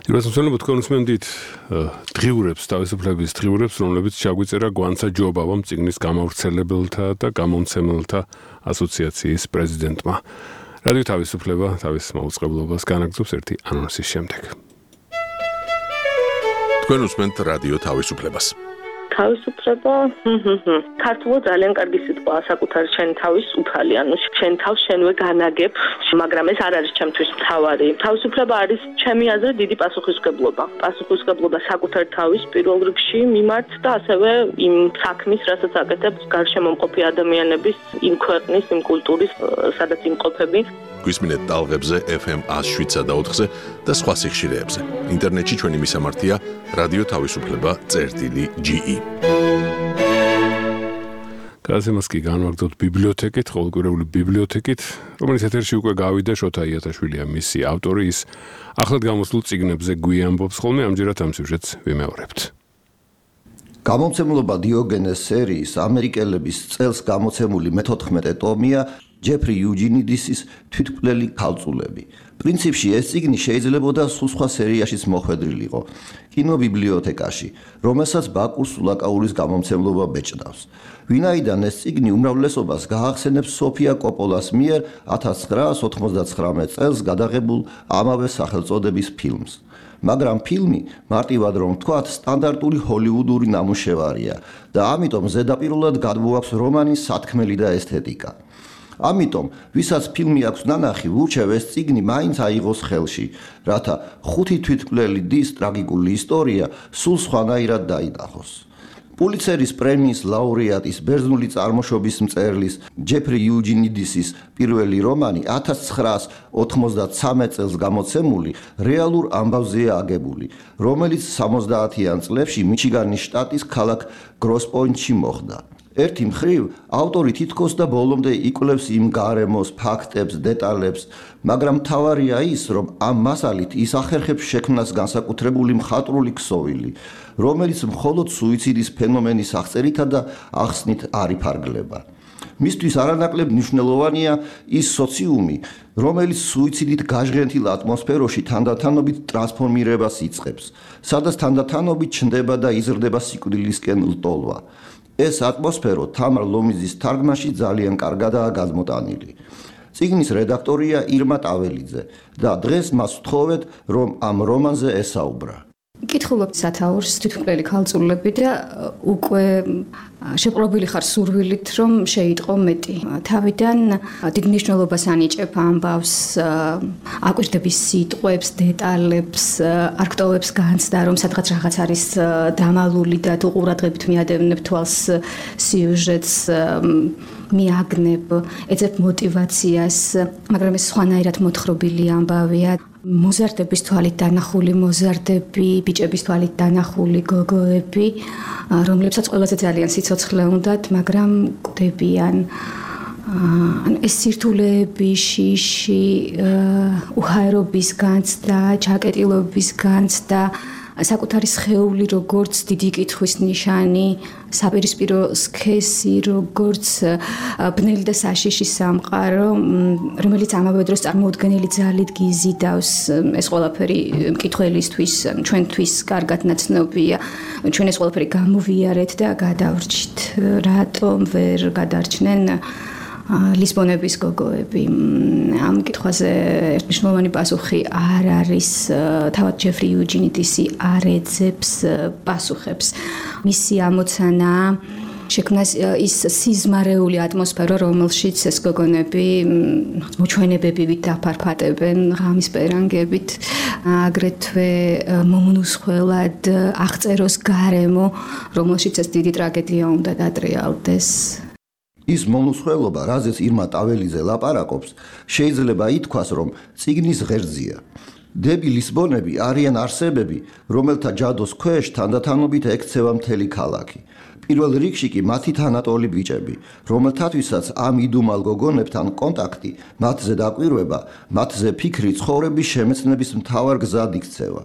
დიასწორებთ თქვენ უსმენთ დღიურებს, თავისუფლების დღიურებს, რომლებიც ჩაგვიწერა გვანცა ჯობავამ წიგნის გამავრცელებელთა და გამომცემელთა ასოციაციის პრეზიდენტმა. რადიო თავისუფლება თავის მაუწყებლობას განაგრძობს ერთი ანონსის შემდეგ. თქვენ უსმენთ რადიო თავისუფლებას. თავისუფლება, ქართულად ძალიან კარგი სიტყვაა, საკუთარი შენი თავის უფალი, ანუ შენ თავს შენვე განაგებ, მაგრამ ეს არ არის ჩემთვის მთავარი. თავისუფლება არის ჩემი აზრით დიდი პასუხისმგებლობა. პასუხისმგებლობა საკუთარი თავის პირველ რიგში მიმართ და ასევე იმ საქმის, რასაც აკეთებ გარშემომყოფი ადამიანების, იმ ქვეყნის, იმ კულტურის, სადაც იმყოფები. გვისმინეთ ტალღებზე ეფ ემ ათს შვიდსა და ოთხზე და სხვა სიხშირეებზე. ინტერნეტში ჩვენი მისამართია რადიო თავისუფლება წერტილი ჯი ი. გაზემას კი განვაგრძოთ ბიბლიოთეკით, ყოველკვირეული ბიბლიოთეკით, რომელიც ეთერში უკვე გავიდა, შოთა იათაშვილია მისი ავტორი, ის ახლად გამოსულ წიგნებზე გვიამბობს ხოლმე, ამჯერად ამ სიუჟეტს ვიმეორებთ. გამომცემლობა დიოგენეს სერიის ამერიკელების წელს გამოცემული მეთოთხმეტე ტომია ჯეფრი იუჯინიდისის თვითმკვლელი ქალწულები. პრინციპში ეს წიგნი შეიძლებოდა სულ სხვა სერიაშიც მოხვედრილიყო, კინობიბლიოთეკაში, რომელსაც ბაკურ სულაკაურის გამომცემლობა ბეჭდავს. ვინაიდან ეს წიგნი უმრავლესობას გაახსენებს სოფია კოპოლას მიერ ათას ცხრაას ოცდათხმეტ წელს გადაღებულ ამავე სახელწოდების ფილმს. მაგრამ ფილმი, მარტივად რომ ვთქვათ, სტანდარტული ჰოლივუდური ნამუშევარია და ამიტომ ზედაპირულად გადმოაქვს რომანის სათქმელი და ესთეტიკა. ამიტომ, ვისაც ფილმი აქვს ნანახი, ვურჩევ ეს წიგნი მაინც აიღოს ხელში, რათა ხუთი თვითმკვლელი დის ტრაგიკული ისტორია სულ სხვანაირად დაინახოს. პულიცერის პრემიის ლაურეატის ბერძნული წარმოშობის მწერლის ჯეფრი იუჯინიდისის პირველი რომანი ათას ცხრაას ოთხმოცდაცამეტ წელს გამოცემული რეალურ ამბავზეა აგებული, რომელიც სამოცდაათიან წლებში მიჩიგანის შტატის ქალაქ გროსპოინტში მოხდა. ერთი მხრივ ავტორი თითქოს და ბოლომდე იკვლევს იმ გარემოს, ფაქტებს, დეტალებს, მაგრამ მთავარია ის, რომ ამ მასალით ის ახერხებს შექმნას განსაკუთრებული მხატვრული ქსოვილი, რომელიც მხოლოდ სუიციდის ფენომენის აღწერითა და ახსნით არ იფარგლება. მისთვის არანაკლებ მნიშვნელოვანია ის სოციუმი, რომელიც სუიციდით გაჟღენთილ ატმოსფეროში თანდათანობით ტრანსფორმირებას იწყებს, სადაც თანდათანობით ჩნდება და იზრდება სიკვდილისკენ ლტოლვა. ეს ატმოსფერო თამარ ლომიძის თარგმანში ძალიან კარგადაა გადმოტანილი. წიგნის რედაქტორია ირმა ტაველიძე და დღეს მას ვთხოვეთ, რომ ამ რომანზე ესაუბრა. კითხულობთ სათაურს თვითმკვლელი ქალწულები და უკვე შეპყრობილი ხარ სურვილით, რომ შეიტყო მეტი. თავიდან დიდ მნიშვნელობას ანიჭებ ამბავს, აკვირდების სიტყვებს, დეტალებს, არქტოვებს განცდა, რომ სადღაც რაღაც არის დამალული და თუ ყურადღებით მიადევნებ თვალს სიუჟეტს, მიაგნებ, ეძებ мотиваციას, მაგრამ ეს სხვანაირად მოთხრობილი ამბავია. მოზარდების თვალით დანახული მოზარდები, ბიჭების თვალით დანახული გოგოები, რომლებსაც ყველაზე ძალიან სიცოცხლე უნდათ, მაგრამ კვდებიან. ანუ ეს სირთულეები, შიში, უჰაერობის განცდა, ჩაკეტილობის განცდა, საკუთარი სხეული როგორც დიდი კითხვის ნიშანი, საპირისპირო სქესი როგორც ბნელი და საშიში სამყარო, რომელიც ამავე დროს წარმოუდგენელი ძალით გიზიდავს. ეს ყველაფერი მკითხველისთვის, ჩვენთვის კარგად ნაცნობია. ჩვენ ეს ყველაფერი გამოვიარეთ და გადავრჩით. რატომ ვერ გადარჩნენ ლისბონების გოგოები? ამ კითხვაზე ერთმნიშვნელოვანი პასუხი არ არის. თავად ჯეფრი იუჯინიდისი არ ეძებს პასუხებს. მისი ამოცანა შექმნას ის სიზმარეული ატმოსფერო, რომელშიც ეს გოგონები მოჩვენებებით დაფარფატებენ ღამის პერანგებით, აგრეთვე მომნუსხველად აღწეროს გარემო, რომელშიც ეს დიდი ტრაგედია უნდა დატრიალდეს. ის მომნუსხველობა, რაზეც ირმა ტაველიძე ლაპარაკობს, შეიძლება ითქვას, რომ წიგნის ღერძია. დები ლისბონები არიან არსებები, რომელთა ჯადოს ქვეშ თანდათანობით ექცევა მთელი ქალაქი. პირველ რიგში კი მათი თანატოლი ბიჭები, რომელთათვისაც ამ იდუმალ გოგონებთან კონტაქტი, მათზე დაკვირვება, მათზე ფიქრი ცხოვრების შემეცნების მთავარ გზად იქცევა.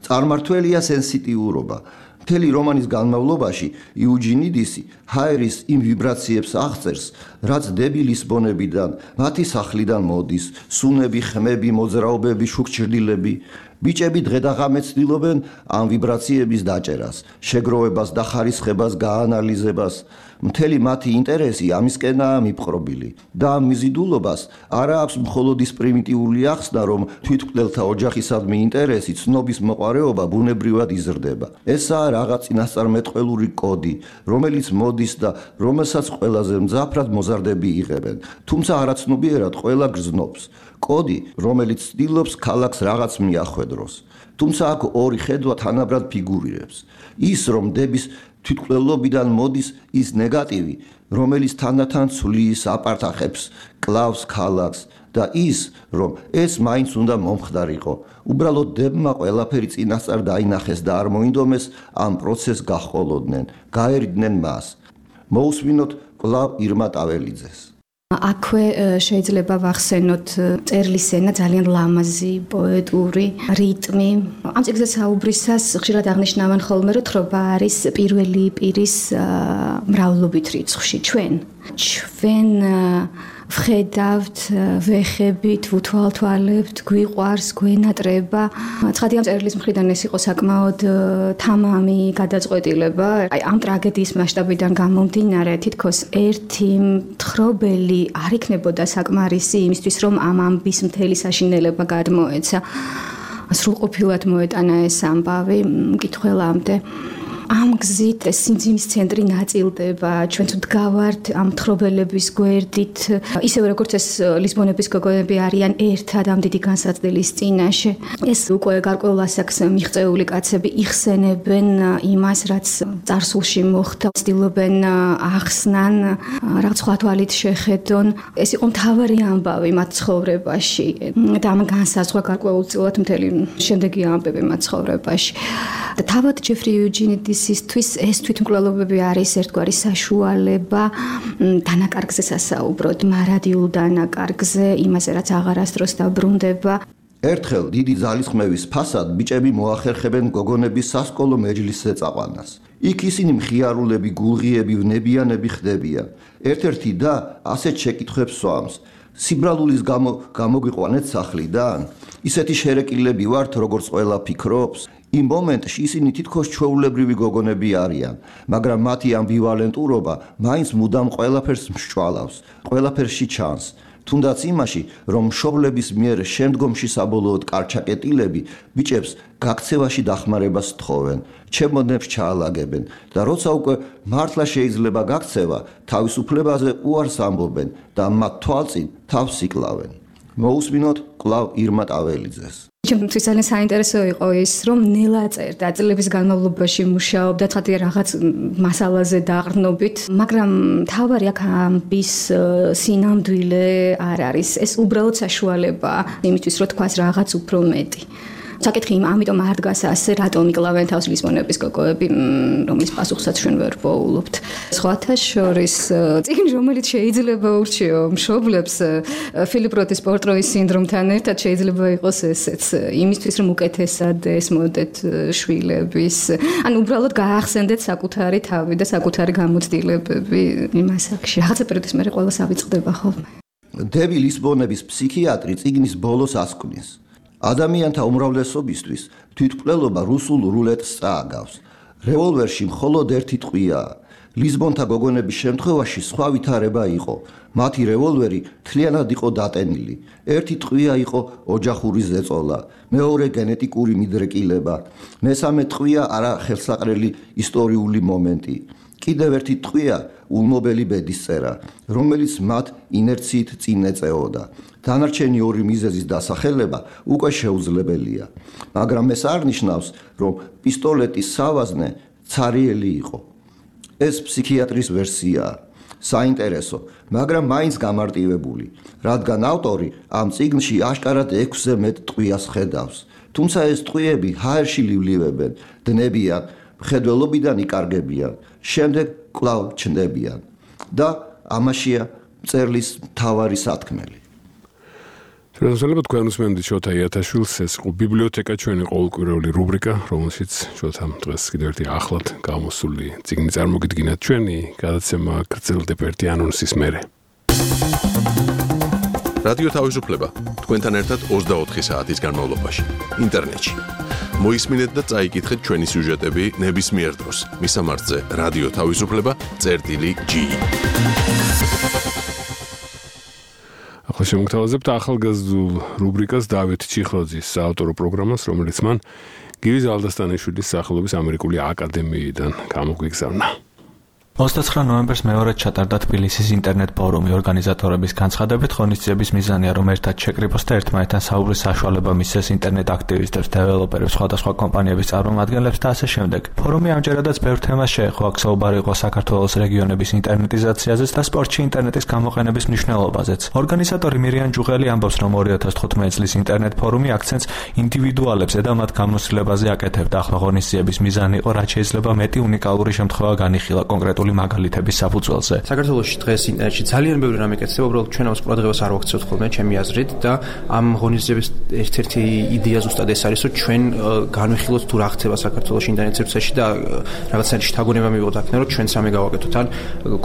წარმმართველია სენსიტიურობა. მთელი რომანის განმავლობაში იუჯინიდისი ჰაერის იმ ვიბრაციებს აღწერს, რაც დები ლისბონებიდან, მათი სახლიდან მოდის, სუნები, ხმები, მოძრაობები, შუქჭრდილები. ბიჭები დღედაღამე ცდილობენ ამ ვიბრაციების დაჭერას, შეგროვებას და ხარისხებას, გაანალიზებას. მთელი მათი ინტერესი ამისკენაა მიპყრობილი და ამ მიზიდულობას არა აქვს მხოლოდ ის პრიმიტიული ახსნა, რომ თვითმკვლელთა ოჯახისადმი ინტერესი, ცნობის მოყარეობა ბუნებრივად იზრდება. ესაა რაღაც წინასწარმეტყველური კოდი, რომელიც მოდის და რომელსაც ყველაზე მძაფრად მოზარდები იღებენ, თუმცა არაცნობიერად ყველა გრძნობს. კოდი, რომელიც ცდილობს ქალაქს რაღაც მიახვედროს. თუმცა აქ ორი ხედვა თანაბრად ფიგურირებს. ის, რომ დების თვითმკვლელობიდან მოდის ის ნეგატივი, რომელიც თანდათან ცვლის, აპარტახებს, კლავს ქალაქს და ის, რომ ეს მაინც უნდა მომხდარიყო. უბრალოდ დებმა ყველაფერი წინასწარ დაინახეს და არ მოინდომეს ამ პროცესს გაჰყოლოდნენ, გაერიდნენ მას. მოусმინოთ კლავ ირმა ტაველიძეს. აქვე შეიძლება ვახსენოთ წერლის ენა ძალიან ლამაზი, პოეტური, რიტმი. ამ წიგნზე საუბრისას ხშირად აღნიშნავენ ხოლმე, რომ თხრობა არის პირველი პირის მრავლობით რიცხვში. ჩვენ ჩვენ ვხედავთ, ვეხებით, ვუთვალთვალებთ, გვიყვარს, გვენატრება. ცხადი ამ წერლის მხრიდან ეს იყო საკმაოდ თამამი გადაწყვეტილება. აი ამ ტრაგედიის მასშტაბიდან გამომდინარე, თითქოს ერთი მთხრობელი არ იქნებოდა საკმარისი იმისთვის, რომ ამ ამბის მთელი საშინელება გადმოეცა. სრულყოფილად მოეტანა ეს ამბავი მკითხველამდე. ამ გზით სიმძიმის ცენტრი ნაწილდება, ჩვენ თუ დგავართ ამ თხრობელების გვერდით, ისევე როგორც ეს ლისბონების გოგონები არიან ერთად ამ დიდი განსაცდელის წინაშე. ეს უკვე გარკვეულ ასაკს მიღწეული კაცები იხსენებენ იმას, რაც წარსულში მოხდა, ცდილობენ ახსნან, რაღაც სხვა თვალით შეხედონ. ეს იყო მთავარი ამბავი მათ ცხოვრებაში და ამ განსაზღვრა გარკვეულწილად მთელი შემდეგი ამბები მათ ცხოვრებაში. და თავად ჯეფრი იუჯინიდისისთვის ეს თვითმკვლელობები არის ერთგვარი საშუალება დანაკარგზე სასაუბროდ, მარადიულ დანაკარგზე, იმაზე რაც აღარასდროს დაბრუნდება. ერთხელ დიდი ძალისხმევის ფასად ბიჭები მოახერხებენ გოგონების სასკოლო მეჯლისზე წაყვანას. იქ ისინი მხიარულები, გულღიები, ვნებიანები ხდებიან. ერთ-ერთი და ასეთ შეკითხვებს სვამს: სიბრალულის გამო გამოგიყვანეთ სახლიდან? ისეთი შერეკილები ვართ, როგორც ყველა ფიქრობს? იმ მომენტში ისინი თითქოს ჩვეულებრივი გოგონები არიან, მაგრამ მათი ამბივალენტურობა მაინც მუდამ ყველაფერს მსჭვალავს, ყველაფერში ჩანს. თუნდაც იმაში, რომ მშობლების მიერ შემდგომში საბოლოოდ კარჩაკეტილები ბიჭებს გაქცევაში დახმარებას თხოვენ, ჩემოდნებს ჩაალაგებენ და როცა უკვე მართლა შეიძლება გაქცევა, თავისუფლებაზე უარს ამბობენ და მათ თვალწინ თავს იკლავენ. მოусმინოთ კვლავ ირმა ტაველიძეს. ჩემთვის ძალიან საინტერესო იყო ის, რომ ნელა წერდა წლების განმავლობაში მუშაობდა ცხადია რაღაც მასალაზე დაყრდნობით, მაგრამ თავარი აქ ამბის სინამდვილე არ არის. ეს უბრალოდ საშუალებაა იმისთვის, რომ თქვას რაღაც უფრო მეტი. საკითხი იმ ამიტომ არ დგას ასე, რატომ იკლავენ თავს ლისბონების გოგოები, რომლის პასუხსაც ჩვენ ვერ პოულობთ. სხვათა შორის წიგნი, რომელიც შეიძლება ურჩიო მშობლებს ფილიპ როთის პორტროის სინდრომთან ერთად შეიძლება იყოს ესეც, იმისთვის რომ უკეთესად ესმოდეთ შვილების, ან უბრალოდ გაახსენდეთ საკუთარი თავი და საკუთარი გამოცდილებები იმ ასაკში. რაღაცა პერიოდის მერე ყველა ავიწყდება ხოლმე. დები ლისბონების ფსიქიატრი წიგნის ბოლოს ასკვნის: ადამიანთა უმრავლესობისთვის თვითმკვლელობა რუსულ რულეტს წააგავს. რევოლვერში მხოლოდ ერთი ტყვიაა. ლისბონთა გოგონების შემთხვევაში სხვა ვითარება იყო. მათი რევოლვერი მთლიანად იყო დატენილი. ერთი ტყვია იყო ოჯახური ზეწოლა, მეორე გენეტიკური მიდრეკილება, მესამე ტყვია არახელსაყრელი ისტორიული მომენტი. კიდევ ერთი ტყვია ულმობელი ბედისწერა, რომელიც მათ ინერციით წინ ეწეოდა. დანარჩენი ორი მიზეზის დასახელება უკვე შეუძლებელია, მაგრამ ეს არ ნიშნავს, რომ პისტოლეტის სავაზნე ცარიელი იყო. ეს ფსიქიატრის ვერსიაა, საინტერესო, მაგრამ მაინც გამარტივებული, რადგან ავტორი ამ წიგნში აშკარად ექვსზე მეტ ტყვიას ხედავს. თუმცა ეს ტყვიები ჰაერში ლივლივებენ, დნებიან, მხედველობიდან იკარგებიან, შემდეგ კვლავ ჩნდებიან და ამაშია მწერლის მთავარი სათქმელი. შეიძლება თქვენ უსმენთ შოთა იათაშვილს, ეს იყო ბიბლიოთეკა, ჩვენი ყოველკვირეული რუბრიკა, რომელშიც შოთამ დღეს კიდევ ერთი ახლად გამოსული წიგნი წარმოგიდგინათ ჩვენი გადაცემა გრძელდება ერთი ანონსის მერე. რადიო თავისუფლება თქვენთან ერთად ოცდაოთხი საათის განმავლობაში ინტერნეტში. მოისმინეთ და წაიკითხეთ ჩვენი სიუჟეტები ნებისმიერ დროს. მისამართზე რადიო თავისუფლება წერტილი ჯი. ახლა შემოგთავაზებთ ახალგაზრდულ რუბრიკას დავით ჩიხროძის საავტორო პროგრამას, რომელიც მან გივი ზალდასტანიშვილის სახელობის ამერიკული აკადემიიდან გამოგვიგზავნა. ოცდაცხრა ნოემბერს მეორედ ჩატარდა თბილისის ინტერნეტ ფორუმი. ორგანიზატორების განცხადებით, ღონისძიების მიზანია, რომ ერთად შეკრიბოს და ერთმანეთთან საუბრის საშუალება მისცეს ინტერნეტ აქტივისტებს, დეველოპერებს, სხვადასხვა კომპანიების წარმომადგენლებს და ასე შემდეგ. ფორუმი ამჯერადაც ბევრ თემას შეეხო. აქ საუბარი იყო საქართველოს რეგიონების ინტერნეტიზაციაზეც და სპორტში ინტერნეტის გამოყენების მნიშვნელობაზეც. ორგანიზატორი მირიან ჯუღელი ამბობს, რომ ორი ათას თხუთმეტი წლის ინტერნეტ ფორუმი აქცენტს ინდივიდუალებსა და მათ გამოცდილებაზე აკეთებდა. ახლა ღონისძიების მიზანი იყო, რაც შეიძლება მეტი უნიკალური შემთხვევა განიხილა კონკრეტულ მაგალითების საფუძველზე. საქართველოში დღეს ინტერნეტში ძალიან ბევრი რამე კეთდება, უბრალოდ ჩვენ ამას ყურადღებას არ ვაქცევთ ხოლმე, ჩემი აზრით და ამ ღონისძიების ერთ-ერთი იდეა ზუსტად ეს არის, რომ ჩვენ განვიხილოთ თუ რა ხდება საქართველოში ინტერნეტ სივრცეში და რაღაცა შთაგონება მივიღოთ აქ, რომ ჩვენ სამი გავაკეთოთ, ან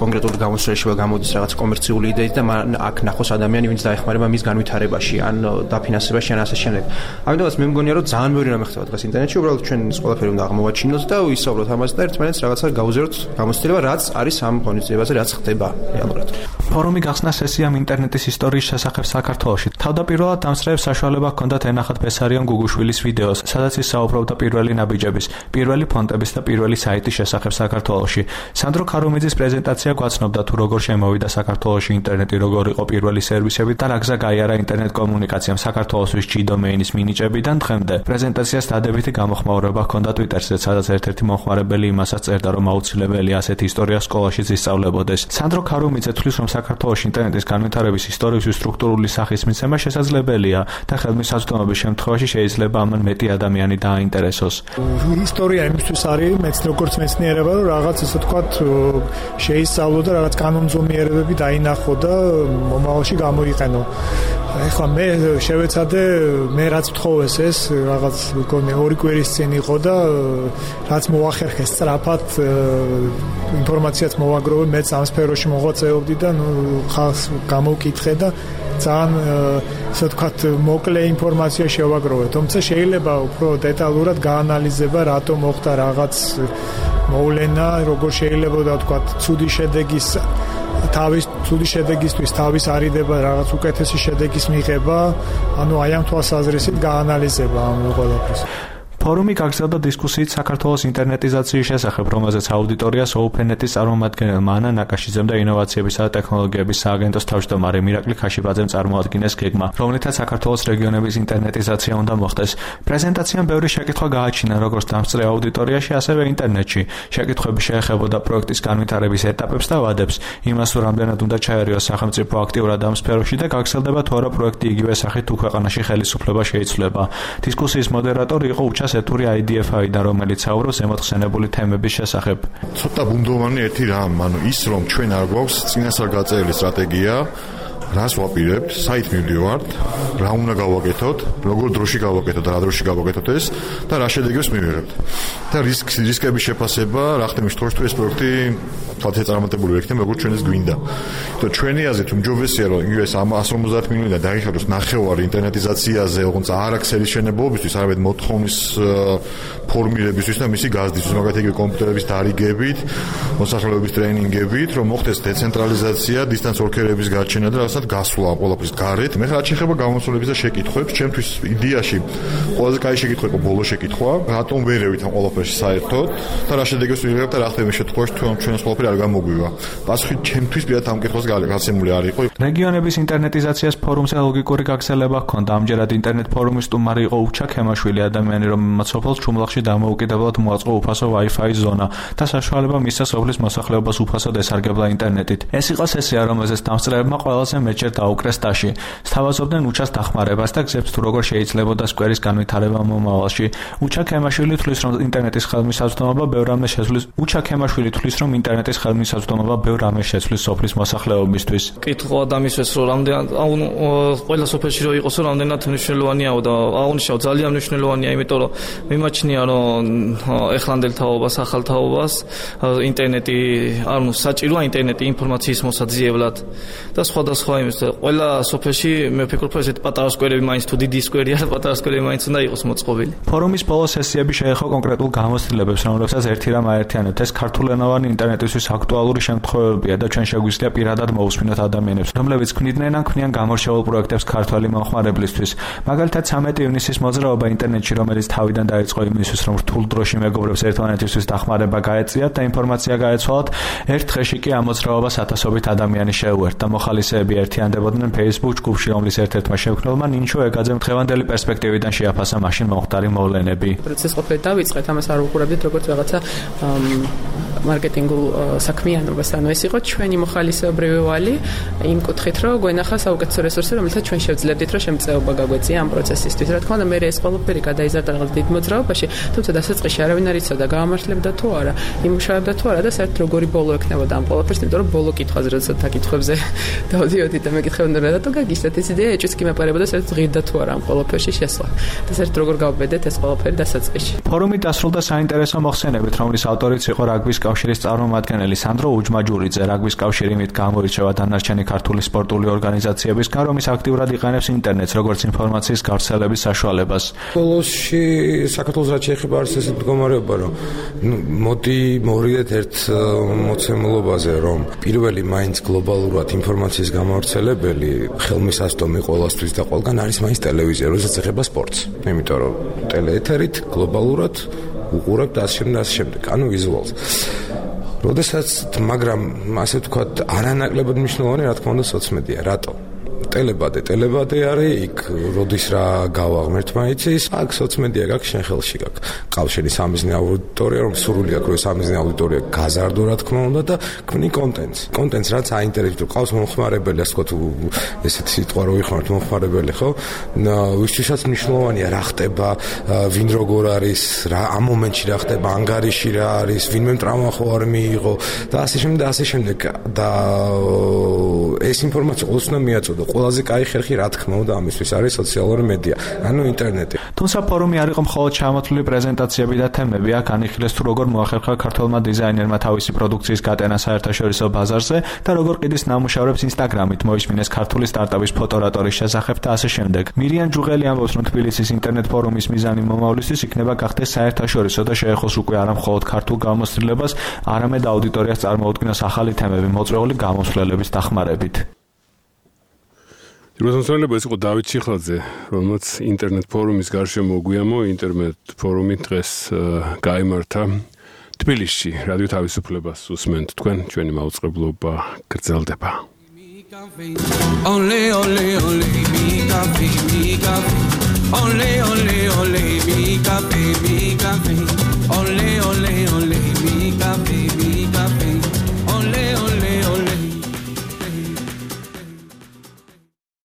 კონკრეტული გამოცდილებაში გამოდის რაღაც კომერციული იდეით და აქ ნახოს ადამიანი, ვინც დაეხმარება მის განვითარებაში, ან დაფინანსებაში, ან ასე შემდეგ. ამიტომაც მე მგონია, რომ ძალიან ბევრი რამე ხდება დღეს ინტერნეტში, უბრალოდ ჩვენ ეს ყველაფერი უნდა აღმოვაჩინოთ და ვისაუბროთ ამაზე და ერთმანეთს რაღაცა გავუზიაროთ გამოცდილება რაც არის ამ ღონისძიებაზე, რაც ხდება რეალურად. ფორუმი გახსნა სესიამ ინტერნეტის ისტორიის შესახებ საქართველოში. თავდაპირველად დამსწრეებს საშუალება ჰქონდათ ენახათ ბესარიონ გუგუშვილის ვიდეოს, სადაც ის საუბრობდა პირველი ნაბიჯების, პირველი ფონტების და პირველი საიტის შესახებ საქართველოში. სანდრო ქარუმიძის პრეზენტაცია გვაცნობდა თუ როგორ შემოვიდა საქართველოში ინტერნეტი, როგორ იყო პირველი სერვისები და რა გზა გაიარა ინტერნეტ კომუნიკაციამ საქართველოსთვის ჯი დომეინის მინიჭებიდან დღემდე. პრეზენტაციას დადებითი გამოხმაურება ჰქონდა Twitter-ზე, სადაც ერთ-ერთი მომხმარებელი იმასაც წერდა, რომ აუცილებელია ასეთი ისტორია სკოლაშიც ისწავლებოდეს. სანდრო ქარუმიძე თვლის, რომ საქართველოში ინტერნეტის განვითარების ისტორიისთვის სტრუქტურული სახის მიცემა შესაძლებელია და ხელმისაწვდომობის შემთხვევაში შეიძლება ამან მეტი ადამიანი დააინტერესოს. ისტორია იმისთვის არის მეც როგორც მეცნიერება, რომ რაღაც ესე ვთქვათ შეისწავლო და რაღაც კანონზომიერებები დაინახო და მომავალში გამოიყენო. ეხლა მე შევეცადე მე რაც ვთხოვეს ეს რაღაც მგონი ორი კვირის წინ იყო და რაც მოახერხეს სწრაფად ინფორმაციაც მოვაგროვე, მეც ამ სფეროში მოღვაწეობდი და ნუ ხალხს გამოვკითხე და ძალიან ასე ვთქვათ მოკლე ინფორმაცია შევაგროვე, თუმცა შეიძლება უფრო დეტალურად გაანალიზება რატომ მოხდა რაღაც მოვლენა, როგორ შეიძლება და ვთქვათ ცუდი შედეგის თავის ცუდი შედეგისთვის თავის არიდება რაღაც უკეთესი შედეგის მიღება, ანუ აი ამ თვალსაზრისით გაანალიზება ამ ყველაფერს. ფორუმი გაგრძელდა დისკუსიით საქართველოს ინტერნეტიზაციის შესახებ, რომელზეც აუდიტორიას ოფენეტის წარმომადგენელმა ანა ნაკაშიძემ და ინოვაციებისა და ტექნოლოგიების სააგენტოს თავმჯდომარე მირაკლი ქაშიბაძემ წარმოადგინეს გეგმა, რომლითაც საქართველოს რეგიონების ინტერნეტიზაცია უნდა მოხდეს. პრეზენტაციამ ბევრი შეკითხვა გააჩინა როგორც დამსწრე აუდიტორიაში, ასევე ინტერნეტში. შეკითხვები შეეხებოდა პროექტის განვითარების ეტაპებს და ვადებს, იმას, რომ რამდენად უნდა ჩაერიოს სახელმწიფო აქტიურად ამ სფეროში და გაგრძელდება თუ არა პროექტი იგივე სახით თუ ქვეყანაში ხელისუფლება შეიცვლება. დისკუსიის მოდერატორი იყო უჩას ეთური აი დი ეფ აიდან, რომელიც საუბრობს ზემოთხსენებული თემების შესახებ. ცოტა ბუნდოვანი ერთი რამ, ანუ ის რომ ჩვენ არ გვაქვს წინასწარ გაწერილი სტრატეგია, რას ვაპირებთ, საით მივდივართ, რა უნდა გავაკეთოთ, როგორ დროში გავაკეთოთ და რა დროში გავაკეთოთ ეს და რა შედეგებს მივიღებთ. და რისკ რისკების შეფასება, რა ხდება იმ შემთხვევაში, თუ ეს პროექტი თვალთ ეწარმოებული ვექნება, როგორც ჩვენ ეს გვინდა. და ჩვენი აზრით უმჯობესია, რომ ის εκατს ორმოცდაათ მილიონიდან დაიხადოს ნახევარი ინტერნეტიზაციაზე, ოღონდ არ აქსელის შენებობისთვის, არამედ მოთხოვნის ფორმირებისთვის და მისი გაზრდისთვის, მაგათ იგივე კომპიუტერების დარიგებით, მოსახლეობის ტრეინინგებით, რომ მოხდეს დეცენტრალიზაცია, დისტანს ორქერების გარჩენა და რასაც გასვლა ყველაფრის გარეთ. მე რა შეიძლება გამოსვლების და შეკითხვებს, ჩემთვის იდეაში ყველაზე კაი შეკითხვა იყო ბოლო შეკითხვა, რატომ ვერევით ამ ყველაფერში საერთოდ და რა შედეგებს ვიღებთ და რა ხდება შემთხვევაში თუ ჩვენს ყველაფერი არ გამოგვივა. პასუხი ჩემთვის პირად ამ კითხვას გასცემული არ იყო. რეგიონების ინტერნეტიზაციას ფორუმზე ლოგიკური გაგრძელება ჰქონდა. ამჯერად ინტერნეტ ფორუმის სტუმარი იყო უჩა ქემაშვილი, ადამიანი, რომელმაც სოფელს ჩუმლახში დამოუკიდებლად მოაწყო უფასო Wi-Fi ზონა და საშუალება მისცა სოფლის მოსახლეობას უფასოდ ესარგებლა ინტერნეტით. ეს იყო სესია, რომელზეც დამსწრეებმა ყველაზე მეტჯერ დაუკრეს ტაში. სთავაზობდნენ უჩას დახმარებას და გზებს თუ როგორ შეიძლებოდა სკვერის განვითარება მომავალში. უჩა ქემაშვილი თვლის, რომ ინტერნეტის ხელმისაწვდომობა ბევრ რამეს შეცვლის. უჩა ქემაშვილი თვლის, რომ ინტერნეტის ხელმისაწვდომობა ბევრ რამეს შეცვლის სოფლის მოსახლეობისთვის. კითხვა დამისვეს, რომ რამდენად ყველა სოფელში რო იყოს, რომ რამდენად მნიშვნელოვანია და აღნიშნავ ძალიან მნიშვნელოვანია, იმიტომ რომ მიმაჩნია, რომ ეხლანდელ თაობას, ახალ თაობას ინტერნეტი, ანუ საჭიროა ინტერნეტი ინფორმაციის მოსაძიებლად და სხვადასხვა იმის. ყველა სოფელში მე ვფიქრობ, ესეთი პატარა სკვერები მაინც თუ დიდი სკვერია და პატარა სკვერები მაინც უნდა იყოს მოწყობილი. ფორუმის ბოლო სესიები შეეხო კონკრეტულ გამოცდილებებს, რომლებსაც ერთი რამ აერთიანებთ. ეს ქართულენოვანი ინტერნეტისთვის აქტუალური შემთხვევებია და ჩვენ შეგვიძლია პირადად მოусმინოთ ადამიანებს, რომლებიც ქმნიდნენ ან ქმნიან გამორჩეულ პროექტებს ქართველი მომხმარებლისთვის. მაგალითად, ცამეტი ივნისის მოძრაობა ინტერნეტში, რომელიც თავიდან დაიწყო იმისთვის, რომ რთულ დროში მეგობრებს ერთმანეთისთვის დახმარება გაეწიათ და ინფორმაცია გაეცვალათ, ერთ დღეში კი ამ მოძრაობას ათასობით ადამიანი შეუერთდა. მოხალისეები ერთიანდებოდნენ Facebook ჯგუფში, რომლის ერთ-ერთმა შემქმნელმა ნინჩო ეგაძემ დღევანდელი პერსპექტივიდან შეაფასა მაშინ მომხდარი მოვლენები. პროცესს ყოფილი დავიწყეთ, ამას არ უყურებდით როგორც რაღაცა მარკეტინგულ საქმიანობას, ანუ ეს იყო ჩვენი მოხალისეობრივი ვალი იმ კუთხით, რომ გვენახა საუკეთესო რესურსი, რომელსაც ჩვენ შევძლებდით, რომ შემწეობა გაგვეწია ამ პროცესისთვის. რა თქმა უნდა, მე ეს ყველაფერი გადაიზარდა რაღაც დიდ მოძრაობაში, თუმცა დასაწყისში არავინ არ იცოდა გაამართლებდა თუ არა, იმუშავებდა თუ არა და საერთოდ როგორი ბოლო ექნებოდა ამ ყველაფერს, იმიტომ რომ ბოლო კითხვაზე როდესაც აკითხვებზე დავდიოდი და მეკითხებოდნენ, რატომ გაგიჩნდათ ეს იდეა, ეჭვიც კი მეპარებოდა საერთოდ ღირდა თუ არა ამ ყველაფერში შესვლა. და საერთოდ როგორ გავბედეთ ეს ყველაფერი დასაწყისში. ფორუმი დასრულდა საინტერესო მოხსენებით, რომლის ავტორიც იყო რაგბის კავშირის წარმომადგენელი სანდრო უჯმაჯურიძე, რაგბის კავშირი მით გამოირჩევა დანარჩენი ქართული სპორტული ორგანიზაციებისგან, რომლის აქტიურად იყენებს ინტერნეტს როგორც ინფორმაციის გავრცელების საშუალებას. ბოლოსში საქართველოს რაც შეეხება არის ესეთი მდგომარეობა, რომ მოდი მოვიდეთ ერთ მოცემულობაზე, რომ პირველი მაინც გლობალურად ინფორმაციის გამავრცელებელი ხელმისაწვდომი ყველასთვის და ყველგან არის მაინც ტელევიზია, როდესაც ეხება სპორტს. იმიტომ რომ ტელეეთერით გლობალურად უყურებთ და ასე შემდეგ და ასე შემდეგ, ანუ ვიზუალს. როდესაც მაგრამ ასე ვთქვათ, არანაკლებად მნიშვნელოვანი რა თქმა უნდა სოციმედია, რატო? ტელებადე, ტელებადე არის იქ, როდის რა გავაღმერთ მაიცის, აქ სოციმედია გაქვს შენ ხელში გაქვს. ყავშენი სამიზნე აუდიტორია, რომ სურვილი აქვს, რომ სამიზნე აუდიტორია გაზარდო რა თქმა უნდა და ქმნი კონტენტს. კონტენტს რაც აინტერესებს, ყავს მომხმარებელი, ასე ვთქვათ, ესეთი სიტყვა რო ვიხმართ მომხმარებელი, ხო? ვისთვისაც მნიშვნელოვანია რა ხდება, ვინ როგორ არის, რა ამ მომენტში რა ხდება, ანგარიში რა არის, ვინმე ტრავმა ხო არ მიიღო და ასე შემდეგ და ასე შემდეგ და ეს ინფორმაცია ყოველთვის უნდა მიაწოდო. ყველაზე კაი ხერხი რა თქმა უნდა ამისთვის არის სოციალური მედია, ანუ ინტერნეტი. თუმცა ფორუმი არ იყო მხოლოდ ჩამოთვლილი პრეზენტაციები და თემები, აქ განიხილეს თუ როგორ მოახერხა ქართველმა დიზაინერმა თავისი პროდუქციის გატანა საერთაშორისო ბაზარზე და როგორ ყიდის ნამუშევრებს ინსტაგრამით, მოისმინეს ქართული სტარტაპის ფოტორატორის შესახებ და ასე შემდეგ. მირიან ჯუღელი ამბობს, რომ თბილისის ინტერნეტ ფორუმის მიზანი მომავლისთვის იქნება გახდეს საერთაშორისო და შეეხოს უკვე არა მხოლოდ ქართულ გამოცდილებას, არამედ აუდიტორიას წარმოუდგინოს ახალი თემები მოწვეული გამოსვლელების დახმარებით. რუსთაველები ეს იყო დავით ჩიხლაძე, რომელმაც ინტერნეტ ფორუმის გარშემო გვიამო ინტერნეტ ფორუმი დღეს გაიმართა თბილისში. რადიო თავისუფლებას უსმენთ თქვენ, ჩვენი მაუწყებლობა გრძელდება. Ole ole ole mi cafe mi cafe Ole ole ole mi cafe mi cafe